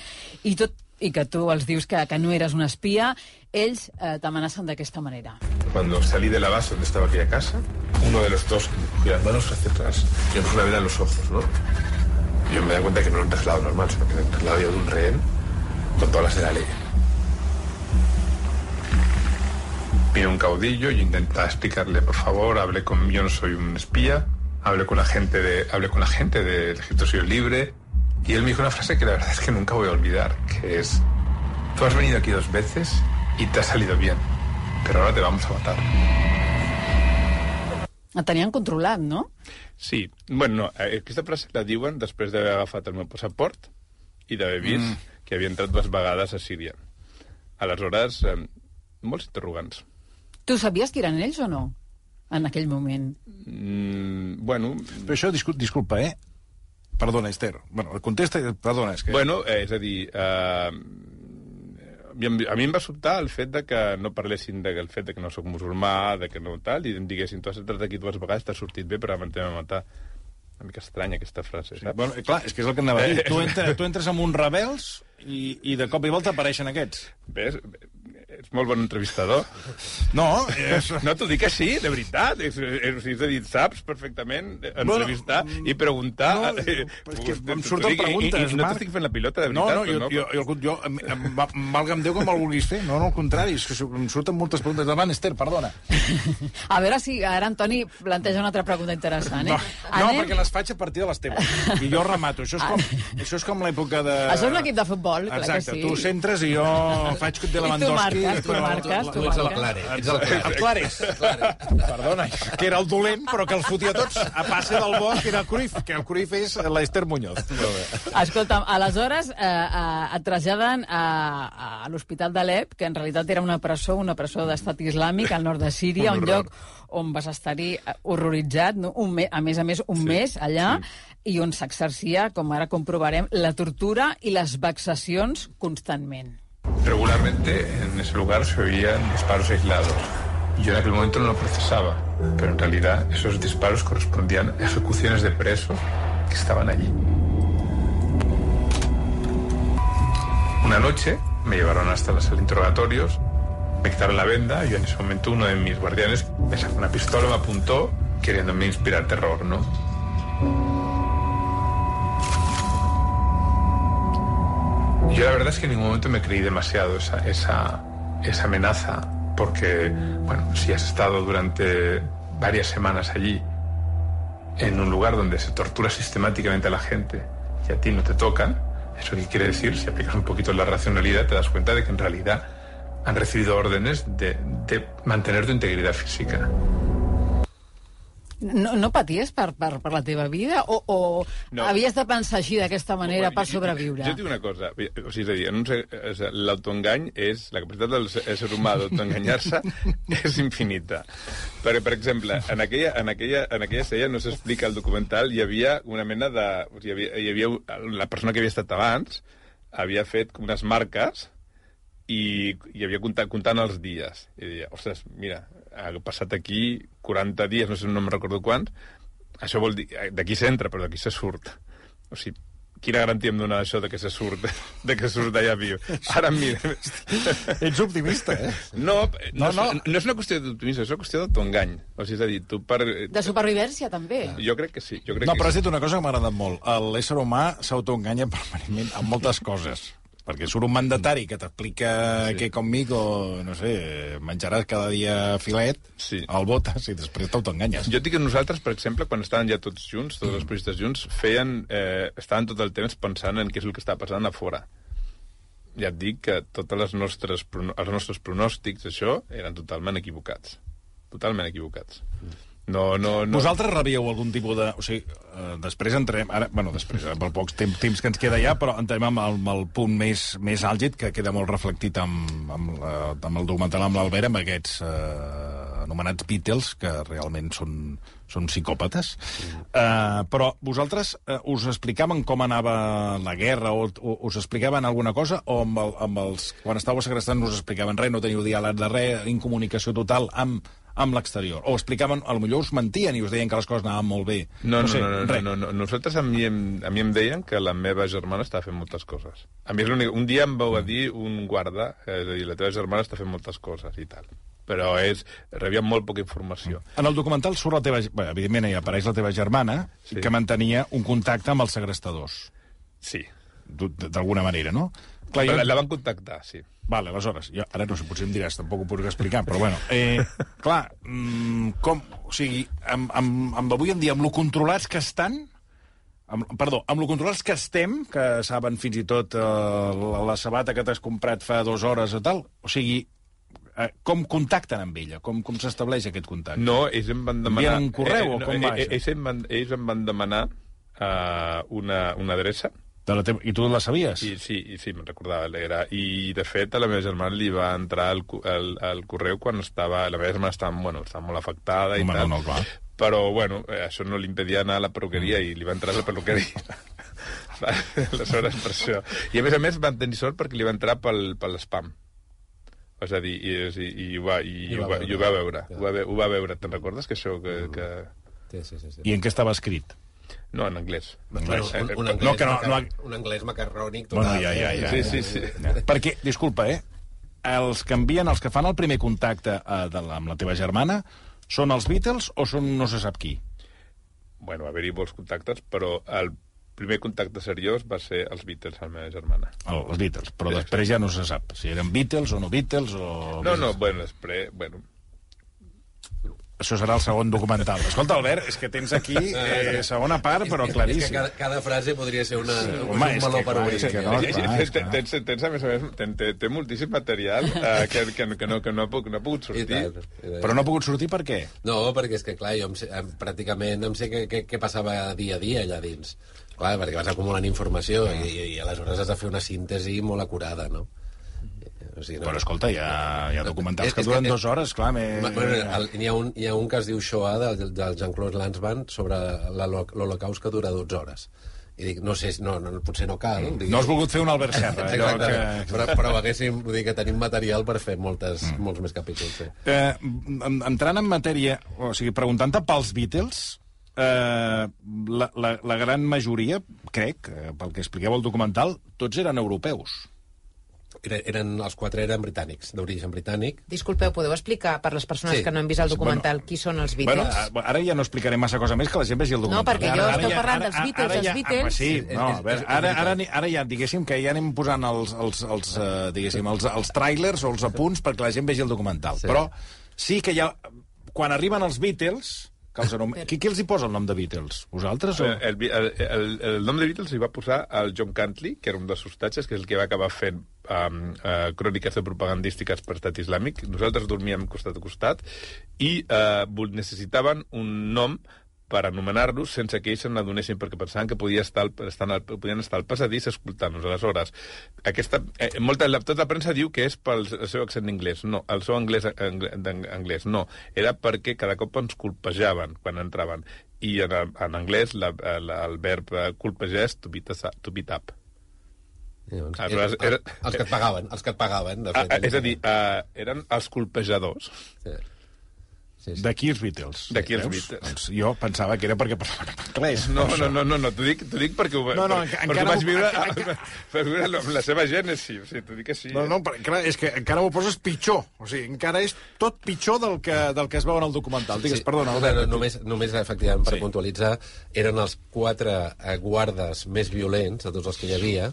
i tot i que tu els dius que, que no eres un espia, ells eh, t'amenacen d'aquesta manera. Cuando salí de la base donde estaba aquella casa, uno de los dos me cogió las manos hacia atrás y me puso una vela en los ojos, ¿no? Y yo me da cuenta que no era un traslado normal, sino que era un traslado de un rehén con todas las de la ley. Vino un caudillo y intentaba explicarle, por favor, hablé con... Yo no soy un espía, hablé con la gente de, hablé con la gente del Ejército Sirio Libre, y él me dijo una frase que la verdad es que nunca voy a olvidar, que es: tú has venido aquí dos veces y te ha salido bien, pero ahora te vamos a matar. Et tenien controlat, no? Sí. Bueno, no, aquesta frase la diuen després d'haver agafat el meu passaport i d'haver vist mm. que havia entrat dues vegades a Síria. Aleshores, eh, molts interrogants. Tu sabies que eren ells o no? En aquell moment. Mm, bueno... Però això, discul disculpa, eh? Perdona, Esther. Bueno, contesta... Perdona, és que... Bueno, eh, és a dir... Eh, a mi em va sobtar el fet de que no parlessin del fet de que no sóc musulmà, de que no tal, i em diguessin, tu has entrat aquí dues vegades, t'has sortit bé, però m'entén a matar. Una mica estranya, aquesta frase, saps? Sí, bueno, clar, és que és el que anava a dir. Tu, entres, tu entres amb uns rebels i, i de cop i volta apareixen aquests. Ves? Ets molt bon entrevistador. No, és... No, t'ho dic així, de veritat. És, és, és a dir, saps perfectament entrevistar bueno, i preguntar... No, és que em surten preguntes, i, i no t'estic fent la pilota, de veritat. No, no, jo, jo, jo, jo valga'm Déu que me'l vulguis fer. No, no, al contrari, és que em surten moltes preguntes. Davant, Esther, perdona. A veure si ara Antoni planteja una altra pregunta interessant, eh? No, no Anem... perquè les faig a partir de les teves. I jo remato. Això és com, això és com l'època de... Això és un equip de futbol, clar Exacte, que sí. tu centres i jo faig de Lewandowski. I tu marques, tu marques, tu marques. Ets el Clare. El Clares. Perdona, que era el dolent, però que els fotia tots a passe del bo, que era el Cruyff, que el Cruyff és l'Esther Muñoz. Escolta'm, aleshores eh, eh, et traslladen a, a l'Hospital d'Alep, que en realitat era una presó, una presó d'estat islàmic al nord de Síria, un, un lloc on vas estar-hi horroritzat, no? un me, a més a més un sí, mes allà, sí. i on s'exercia, com ara comprovarem, la tortura i les vexacions constantment. Regularmente en ese lugar se oían disparos aislados. Yo en aquel momento no lo procesaba, pero en realidad esos disparos correspondían a ejecuciones de presos que estaban allí. Una noche me llevaron hasta la sala de interrogatorios, me quitaron la venda y en ese momento uno de mis guardianes me sacó una pistola, me apuntó, queriéndome inspirar terror, ¿no? Yo la verdad es que en ningún momento me creí demasiado esa, esa, esa amenaza, porque, bueno, si has estado durante varias semanas allí, en un lugar donde se tortura sistemáticamente a la gente y a ti no te tocan, ¿eso qué quiere decir? Si aplicas un poquito la racionalidad, te das cuenta de que en realidad han recibido órdenes de, de mantener tu integridad física. No, no paties per, per, per la teva vida? O, o no. havies de pensar així, d'aquesta manera, bueno, per sobreviure? Jo, jo dic una cosa, o sigui, és a dir, un, l'autoengany és... La capacitat del ser humà d'autoenganyar-se és infinita. Perquè, per exemple, en aquella, en aquella, en aquella sèrie, no s'explica al documental, hi havia una mena de... Hi havia, hi havia la persona que havia estat abans havia fet unes marques i hi havia comptant, comptant els dies. I deia, ostres, mira, ha passat aquí quaranta dies, no sé, no me'n recordo quants, això vol dir, d'aquí s'entra, però d'aquí se surt. O sigui, quina garantia em dona això de que se surt, de que surt d'allà viu? Ara em mira... Ets optimista, eh? No, no, No, no. És, no és una qüestió d'optimisme, és una qüestió d'autoengany. O sigui, és a dir, tu per... De supervivència, també. Jo crec que sí. Jo crec No, però has que dit una cosa que m'ha agradat molt. L'ésser humà s'autoenganya permanentment amb moltes coses. Perquè surt un mandatari que t'explica sí. que conmigo, no sé, menjaràs cada dia filet, Sí. el votes i després t'autoenganyes. Jo dic que nosaltres, per exemple, quan estàvem ja tots junts, tots els periodistes junts, feien, eh, estaven tot el temps pensant en què és el que està passant a fora. Ja et dic que tots les nostres, els nostres pronòstics, això, eren totalment equivocats. Totalment equivocats. No, no, no. Vosaltres rebíeu algun tipus de... O sigui, eh, després entrem... Ara, bueno, després, pel pocs temps, temps que ens queda ja, però entrem amb el, amb el punt més, més àlgid, que queda molt reflectit amb, amb, la, amb el documental amb l'Albert, amb aquests eh, anomenats Beatles, que realment són, són psicòpates. Mm. Eh, però vosaltres eh, us explicaven com anava la guerra, o, o us explicaven alguna cosa, o amb, el, amb els... Quan estàveu segrestant no us explicaven res, no teniu diàleg de res, incomunicació total amb... amb l'exterior. O explicaven, a lo millor us mentien i us deien que les coses anaven molt bé. No, no, sé, no, no, res. no, no, no. Nosaltres a mi, em, a mi em deien que la meva germana estava fent moltes coses. A mi és l'únic... Un dia em vau a dir un guarda, és a dir, la teva germana està fent moltes coses i tal. Però és... rebíem molt poca informació. En el documental surt la teva... Bé, evidentment hi apareix la teva germana, Sí. que mantenia un contacte amb els segrestadors. Sí. D'alguna manera, no? Clar, Però jo... la, la van contactar, sí. Vale, aleshores, jo, ara no sé, potser em diràs, tampoc ho puc explicar, però bueno, eh, clar, mm, com, o sigui, amb, amb, amb avui en dia, amb lo controlats que estan, amb, perdó, amb lo controlats que estem, que saben fins i tot eh, la, la sabata que t'has comprat fa dues hores o tal, o sigui, eh, com contacten amb ella? Com, com s'estableix aquest contacte? No, ells em van demanar... Envien un correu eh, o no, com va eh, això? ells, em van, ells em van demanar uh, una, una adreça. De la teva... I tu la sabies? I, sí, i sí, me'n recordava. Era. I, de fet, a la meva germana li va entrar el, el, el correu quan estava... La meva germana estava, bueno, estava molt afectada i Home, tal. no, no, clar. Però, bueno, eh, això no li impedia anar a la perruqueria mm. i li va entrar a la perruqueria. Aleshores, per això. I, a més a més, van tenir sort perquè li va entrar pel, pel spam. És a dir, i, i, i, ho, va, i, I, ho, va, i ho va veure. Ho va, ho va veure. Te'n recordes que això... Que, que... Sí, sí, sí, sí. I en què estava escrit? No, en anglès. Bueno, un, un, anglès No, que no- macar... no- un anglès macarrònic total. Bueno, ja, ja, ja. Sí, sí, sí. Perquè, disculpa, eh? Els que envien, els que fan el primer contacte eh, de la, amb la teva germana, són els Beatles o són no se sap qui? Bueno, va haver-hi molts contactes, però el primer contacte seriós va ser els Beatles, la meva germana. El, els Beatles, però Sí, després ja no se sap si eren Beatles o no Beatles o... No, no, bueno, després... Bueno, Això serà el segon documental. Escolta, Albert, és que tens aquí eh, segona part, però És que claríssim. cada, cada frase podria ser una, Sí, un, home, un és meló que per clar, obrir. és que no, Sí, sí, clar, sí, és clar. tens, tens, a més a més, ten, té, té moltíssim material eh, que, que, que, no, que no, ha pogut, no ha pogut I sortir. tant, i tant. Però no ha pogut sortir per què? No, perquè és que, clar, jo em sé, em, pràcticament em sé què, què, què passava dia a dia allà dins. Clar, perquè vas acumulant informació i, i, i aleshores has de fer una síntesi molt acurada, no? O sigui, no. Però escolta, hi ha, hi ha documentals És- que és duren que- dues hores, clar. Me... Bueno, el, hi, ha un, hi ha un que es diu Shoah del, del Jean-Claude Lanzmann sobre la- l'Holocaust que dura dotze hores. I dic, no sé, no, no, potser no cal. Dic, No has volgut fer un Albert Serra. allò Exactament. que... Però, però haguéssim, vull dir que tenim material per fer moltes, mm. molts més capítols. Sí. Eh, en- entrant en matèria, o sigui, preguntant-te pels Beatles, eh, la, la, la gran majoria, crec, eh, pel que expliqueu al documental, tots eren europeus. Eren, eren, els quatre eren britànics, d'origen britànic. Disculpeu, podeu explicar per les persones Sí. que no han vist el documental Bueno, qui són els Bueno, Beatles? a- ara ja no explicaré massa cosa més, que la gent vegi el documental. perquè jo Ara- esteu ara parlant ara- dels Beatles, ara els ja- Beatles. ah, sí, És- no, és- a veure, és- és ara, ara, veritat. ara ja, diguéssim, que ja anem posant els, els, els, eh, diguéssim, els, els trailers o els apunts perquè la gent vegi el documental. Sí. Però sí que ja, quan arriben els Beatles... Que els anom... qui, qui els hi posa el nom de Beatles? Vosaltres o...? El, el, el, el nom de Beatles li va posar el John Cantley, que era un dels hostatges, que és el que va acabar fent um, uh, cròniques de propagandístiques per estat islàmic. Nosaltres dormíem costat a costat i uh, necessitaven un nom per anomenar-los sense que ells se n'adonessin, perquè pensaven que podia estar al, estar al, podien estar al passadís escoltant-nos. Aleshores, aquesta, eh, molta, la, tota la premsa diu que és pel seu accent anglès. No, el seu anglès, anglès no. Era perquè cada cop ens colpejaven quan entraven. I en, en anglès la, la, el verb colpejar és to beat, to beat up. Llavors, Aleshores, era, era- els que et pagaven, els que et pagaven, de Ah, fet. és a dir, uh, eren els colpejadors. Sí. Sí, sí. D'aquí els Beatles. D'aquí els Veus? Beatles. Doncs jo pensava que era perquè parlaven en anglès. No, no, no, no, no t'ho dic, t'ho dic perquè, ho, No, no, per, encara perquè ho vaig ho- viure, encara- vaig viure amb la seva gènesi. O sigui, t'ho dic així. No, no, però, clar, és que encara ho poses pitjor. O sigui, encara és tot pitjor del que, del que es veu en el documental. Digues, perdona. no, Albert. no, només, només, efectivament, per Sí. puntualitzar, eren els quatre eh, guardes més violents de tots els que hi havia,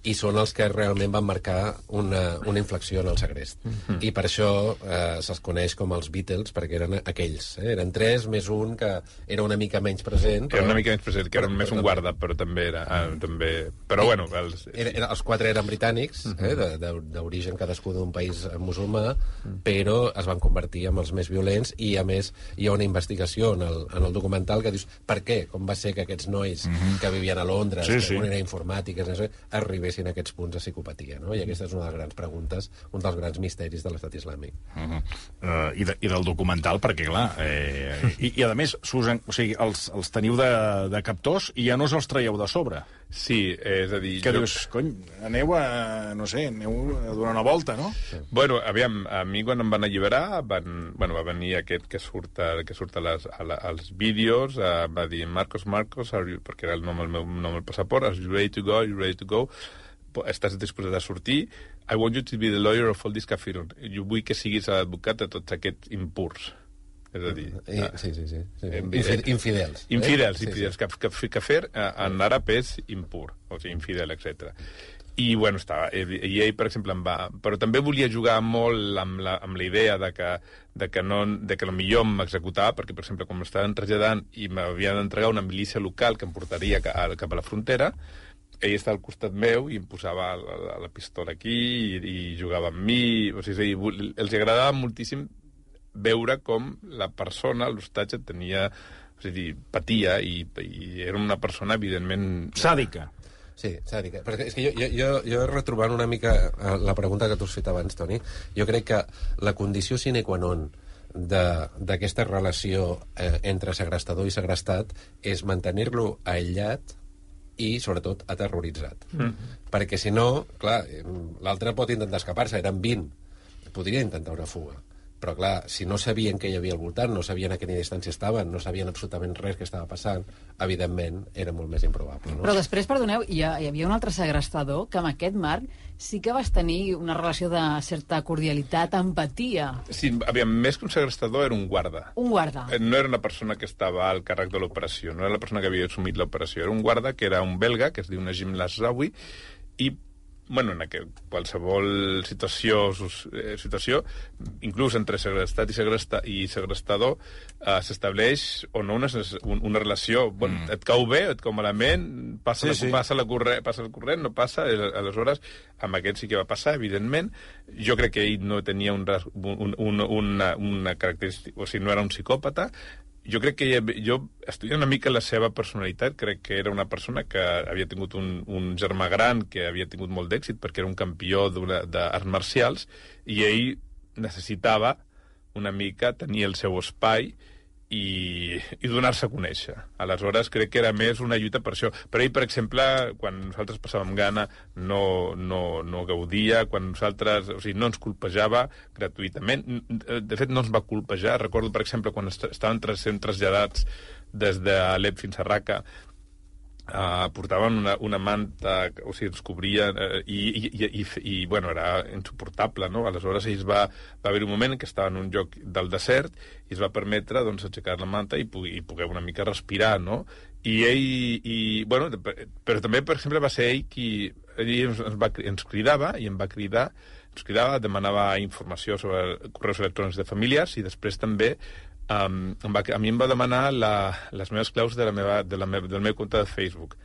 i són els que realment van marcar una, una inflexió en el segrest. Mm-hmm. I per això eh, se'ls coneix com els Beatles, perquè eren aquells. Eh? Eren tres més un que era una mica menys present. Era una mica més present, que era més un guarda, però també era... Ah, també... Però, bueno... Els, Era, era, els quatre eren britànics, uh -huh. eh, de- de- d'origen cadascú d'un país musulmà, uh-huh. però es van convertir en els més violents, i a més hi ha una investigació en el, en el documental que dius per què, com va ser que aquests nois uh-huh. que vivien a Londres, Sí, que sí. un era informàtiques, no sé, arribessin a aquests punts de psicopatia, no? I aquesta és una de les grans preguntes, un dels grans misteris de l'estat islàmic. Uh -huh. uh, i, de, I del documental, perquè, clar... Eh, i, I, a més, Susan, o sigui, els, els teniu de, de captors i ja no us els traieu de sobre. Sí, és a dir... Que jo... dius, cony, aneu a... no sé, aneu a donar una volta, no? Sí. Bueno, aviam, a mi quan em van alliberar, van, bueno, va venir aquest que surt, a, que surt a les, a la, als vídeos, uh, va dir, Marcos, Marcos, are you, perquè era el nom, el meu nom al passaport, are you ready to go, are you ready to go? Estàs disposat a sortir? I want you to be the lawyer of all this kafirun. Jo vull que siguis l'advocat de tots aquests impurs. És a dir... I, sí, sí, sí. sí. Eh, Infi- infidels. Infidels, eh? infidels. Sí, Sí, sí. Kafir en àrab és impur, o sigui, infidel, etcètera. I, bueno, estava... I ell, per exemple, em va... Però també volia jugar molt amb la, amb la idea de que, de que, no, de que potser m'executava, perquè, per exemple, quan m'estaven traslladant i m'havien d'entregar una milícia local que em portaria cap a, cap a la frontera, ell estava al costat meu i em posava la, la pistola aquí i, i jugava amb mi. O sigui, els agradava moltíssim veure com la persona, l'hostatge, tenia... O sigui, patia i, i era una persona, evidentment... Sàdica. Sí, sàdica. Però és que jo, jo, jo, jo retrobant una mica la pregunta que tu has fet abans, Toni, jo crec que la condició sine qua non d'aquesta relació eh, entre segrestador i segrestat és mantenir-lo aïllat i, sobretot, aterroritzat. Mm. Perquè, si no, clar, l'altre pot intentar escapar-se, eren vint. Podria intentar una fuga. Però, clar, si no sabien què hi havia al voltant, no sabien a quina distància estaven, no sabien absolutament res que estava passant, evidentment, era molt més improbable. No? Però després, perdoneu, hi, ha, hi havia un altre segrestador que amb aquest Marc sí que vas tenir una relació de certa cordialitat, empatia. Sí, aviam, més que un segrestador era un guarda. Un guarda. No era una persona que estava al càrrec de l'operació, no era la persona que havia assumit l'operació, era un guarda que era un belga, que es diu Najim Lasraoui, i bueno, en aquel, qualsevol situació, eh, situació, inclús entre segrestat i, segresta, i segrestador, eh, s'estableix o no una, una relació. Bueno, mm. Et cau bé, et cau malament, passa, sí, la, sí. passa, la corrent, passa el corrent, no passa, aleshores, amb aquest sí que va passar, evidentment. Jo crec que ell no tenia un, un, un, una, una característica, o sigui, no era un psicòpata. Jo crec que ella, jo, estudiant una mica la seva personalitat, crec que era una persona que havia tingut un, un germà gran que havia tingut molt d'èxit perquè era un campió d'arts marcials i ell necessitava una mica tenir el seu espai i, i donar-se a conèixer. Aleshores, crec que era més una lluita per això. Però ell, per exemple, quan nosaltres passàvem gana, no, no, no gaudia, quan nosaltres... O sigui, no ens colpejava gratuïtament. De fet, no ens va colpejar. Recordo, per exemple, quan est estaven sent traslladats des d'Alep fins a Raqqa, Uh, portaven una, una manta, o sigui, ens cobria, uh, i, i, i, i, i, bueno, era insuportable, no? Aleshores, ells va, va haver un moment en què estava en un lloc del desert i es va permetre, doncs, aixecar la manta i, i poder una mica respirar, no? I ell, i, bueno, però també, per exemple, va ser ell qui ell ens, ens, va, ens cridava i em va cridar, ens cridava, demanava informació sobre correus electrònics de famílies i després també Um, em va, a mi em va demanar la, les meves claus de la meva, de la meva, del meu compte de Facebook.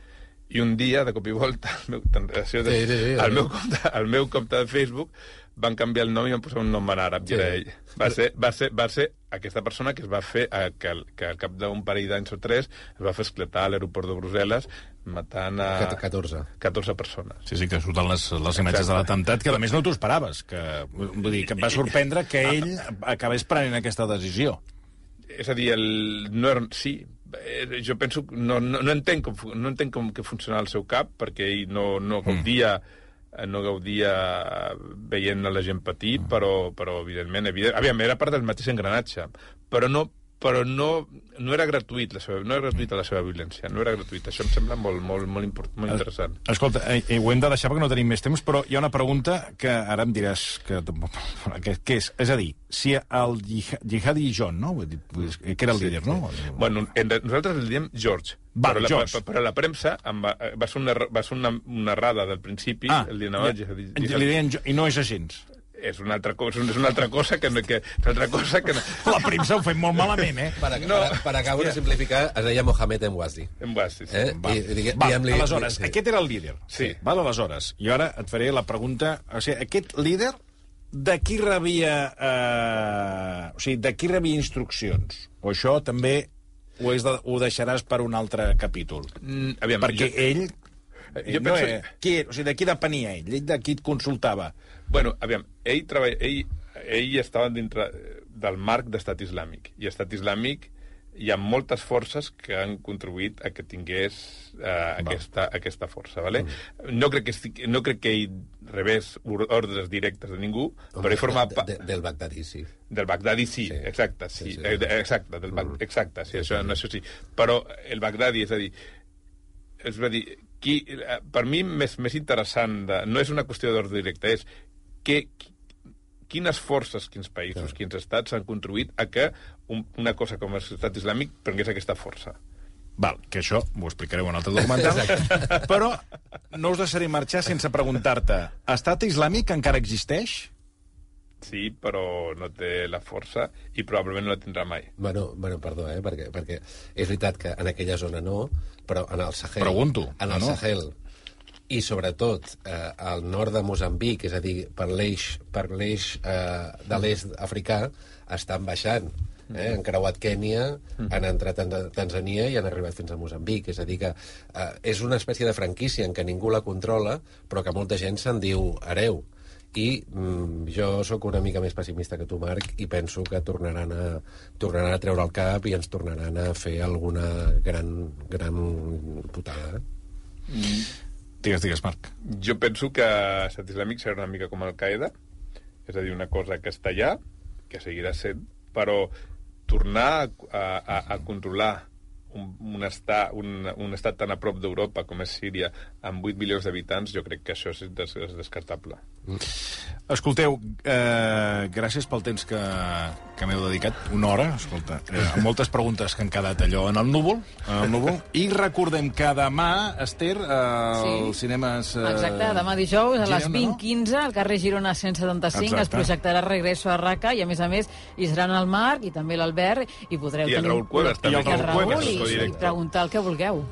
I un dia, de cop i volta, el meu, de, sí, sí, sí, el meu, compte, el meu compte de Facebook van canviar el nom i van posar un nom en àrab, sí. I era ell. Va ser, va, ser, va ser aquesta persona que es va fer, eh, que, que al cap d'un parell d'anys o tres es va fer esclatar a l'aeroport de Brussel·les matant a... catorze. catorze persones. Sí, sí, que surten les, les imatges de l'atemptat, que a més no t'ho esperaves, que, vull dir, que et va sorprendre que ell acabés prenent aquesta decisió. És a dir, el, no era, sí, jo penso, no, no, no entenc, com, no entenc com que funciona el seu cap, perquè ell no, no gaudia, mm. no gaudia veient la gent patir, mm. però, però evidentment, evident, aviam, era part del mateix engranatge, però no però no, no era gratuït la seva, no era gratuïta la seva violència, no era gratuïta. Això em sembla molt, molt, molt, import, molt interessant. Escolta, eh, ho hem de deixar perquè no tenim més temps, però hi ha una pregunta que ara em diràs que, que, que és, és a dir, si el Jihadi John, no? Que era el líder, no? Sí. Bueno, nosaltres el diem George, Va, però, George. La, però la premsa va, va ser una, va ser una, una errada del principi, ah, el diem ja, Jihadi, Jihadi. I no és així. És una altra cosa, és una altra cosa que... que és una altra cosa que... La premsa ho fem molt malament, eh? Per, no. per, per acabar de simplificar, es deia Mohamed Emwazi. Emwazi, sí. Eh? Va, I, digue, va li, aleshores, sí. aquest era el líder. Sí. Val, aleshores, i ara et faré la pregunta... O sigui, aquest líder, de qui rebia... Eh, o sigui, de qui rebia instruccions? O això també ho, és de, ho deixaràs per un altre capítol? Mm, aviam, Perquè jo... ell... Jo no, penso... eh, qui, o sigui, de qui depenia ell? Ell de qui et consultava? Bueno, aviam, ell, treball... ell, ell estava dintre del marc d'estat islàmic, i estat islàmic hi ha moltes forces que han contribuït a que tingués eh, aquesta, aquesta força, ¿vale? Mm. No, crec que, no crec que ell rebés ordres directes de ningú, Home, però ell formava... De, de, del Bagdadi, sí. Del Bagdadi, sí, sí. exacte, sí. sí, sí. Eh, exacte, del mm. exacte, sí, això, això sí. Però el Bagdadi, és a dir, és a dir, qui, per mi més, més interessant, de, no és una qüestió d'ordre directe, és que, quines forces, quins països, quins estats han contribuït a que un, una cosa com l'estat islàmic prengués aquesta força. Val, que això ho explicaré en un altre documental. Però no us deixaré marxar sense preguntar-te, estat islàmic encara existeix? Sí, però no té la força i probablement no la tindrà mai. Bueno, bueno perdó, eh, perquè, perquè és veritat que en aquella zona no, però en el Sahel... Pregunto. En el no? Sahel, i sobretot eh, al nord de Moçambic, és a dir, per l'eix per l'eix eh, de l'est africà, estan baixant. Eh? Han creuat Kènia, han entrat a Tanzània i han arribat fins a Moçambic. És a dir, que eh, és una espècie de franquícia en què ningú la controla, però que molta gent se'n diu hereu. I mm, jo sóc una mica més pessimista que tu, Marc, i penso que tornaran a, tornaran a treure el cap i ens tornaran a fer alguna gran, gran putada. Mm. Digues, digues, Marc. Jo penso que l'estat islàmic serà una mica com Al-Qaeda, és a dir, una cosa que està allà, que seguirà sent, però tornar a, a, a controlar un, un, estat, un, un estat tan a prop d'Europa com és Síria, amb vuit milions d'habitants, jo crec que això és, des, és descartable. Mm. Escolteu, eh, gràcies pel temps que, que m'heu dedicat, una hora, escolta, eh, amb moltes preguntes que han quedat allò en el núvol, en el núvol. I recordem que demà, Esther, eh, sí. els cinemes... Eh, Exacte, demà dijous, a les Girona, vint no? quinze, al carrer Girona cent setanta-cinc, Exacte. es projectarà Regreso a Raca, i a més a més hi seran el Marc i també l'Albert, i podreu I el tenir... Raül Cuevas, també. I el Raül, Cuevas, i, i preguntar el que vulgueu.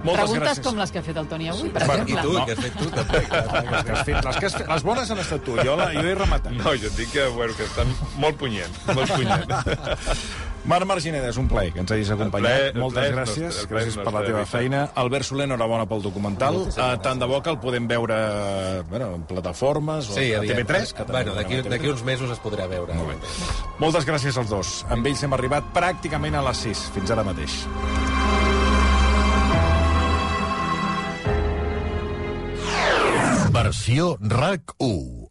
Moltes Preguntes gràcies. com les que ha fet el Toni avui, per Bueno, exemple. I tu, No. què has fet tu, també? Les, que has fet, les, que has fet, les bones han estat tu, jo, la, jo he rematat. No, jo et dic que, bueno, que estan molt punyents, molt punyents. Marc Margineda, és un plaer que ens hagis acompanyat. El plaer- el Moltes plaer és gràcies, nostre, el plaer és gràcies per la nostre, teva Rita. feina. Albert Soler, enhorabona pel documental. Uh, tant de bo que el podem veure bueno, en plataformes o Sí, a T V aviam. tres. Que Bueno, també d'aquí a T V tres. d'aquí uns mesos es podrà veure. Molt bé. Moltes gràcies als dos. Amb ells hem arribat pràcticament a les sis. Fins ara mateix. Versió RAC u.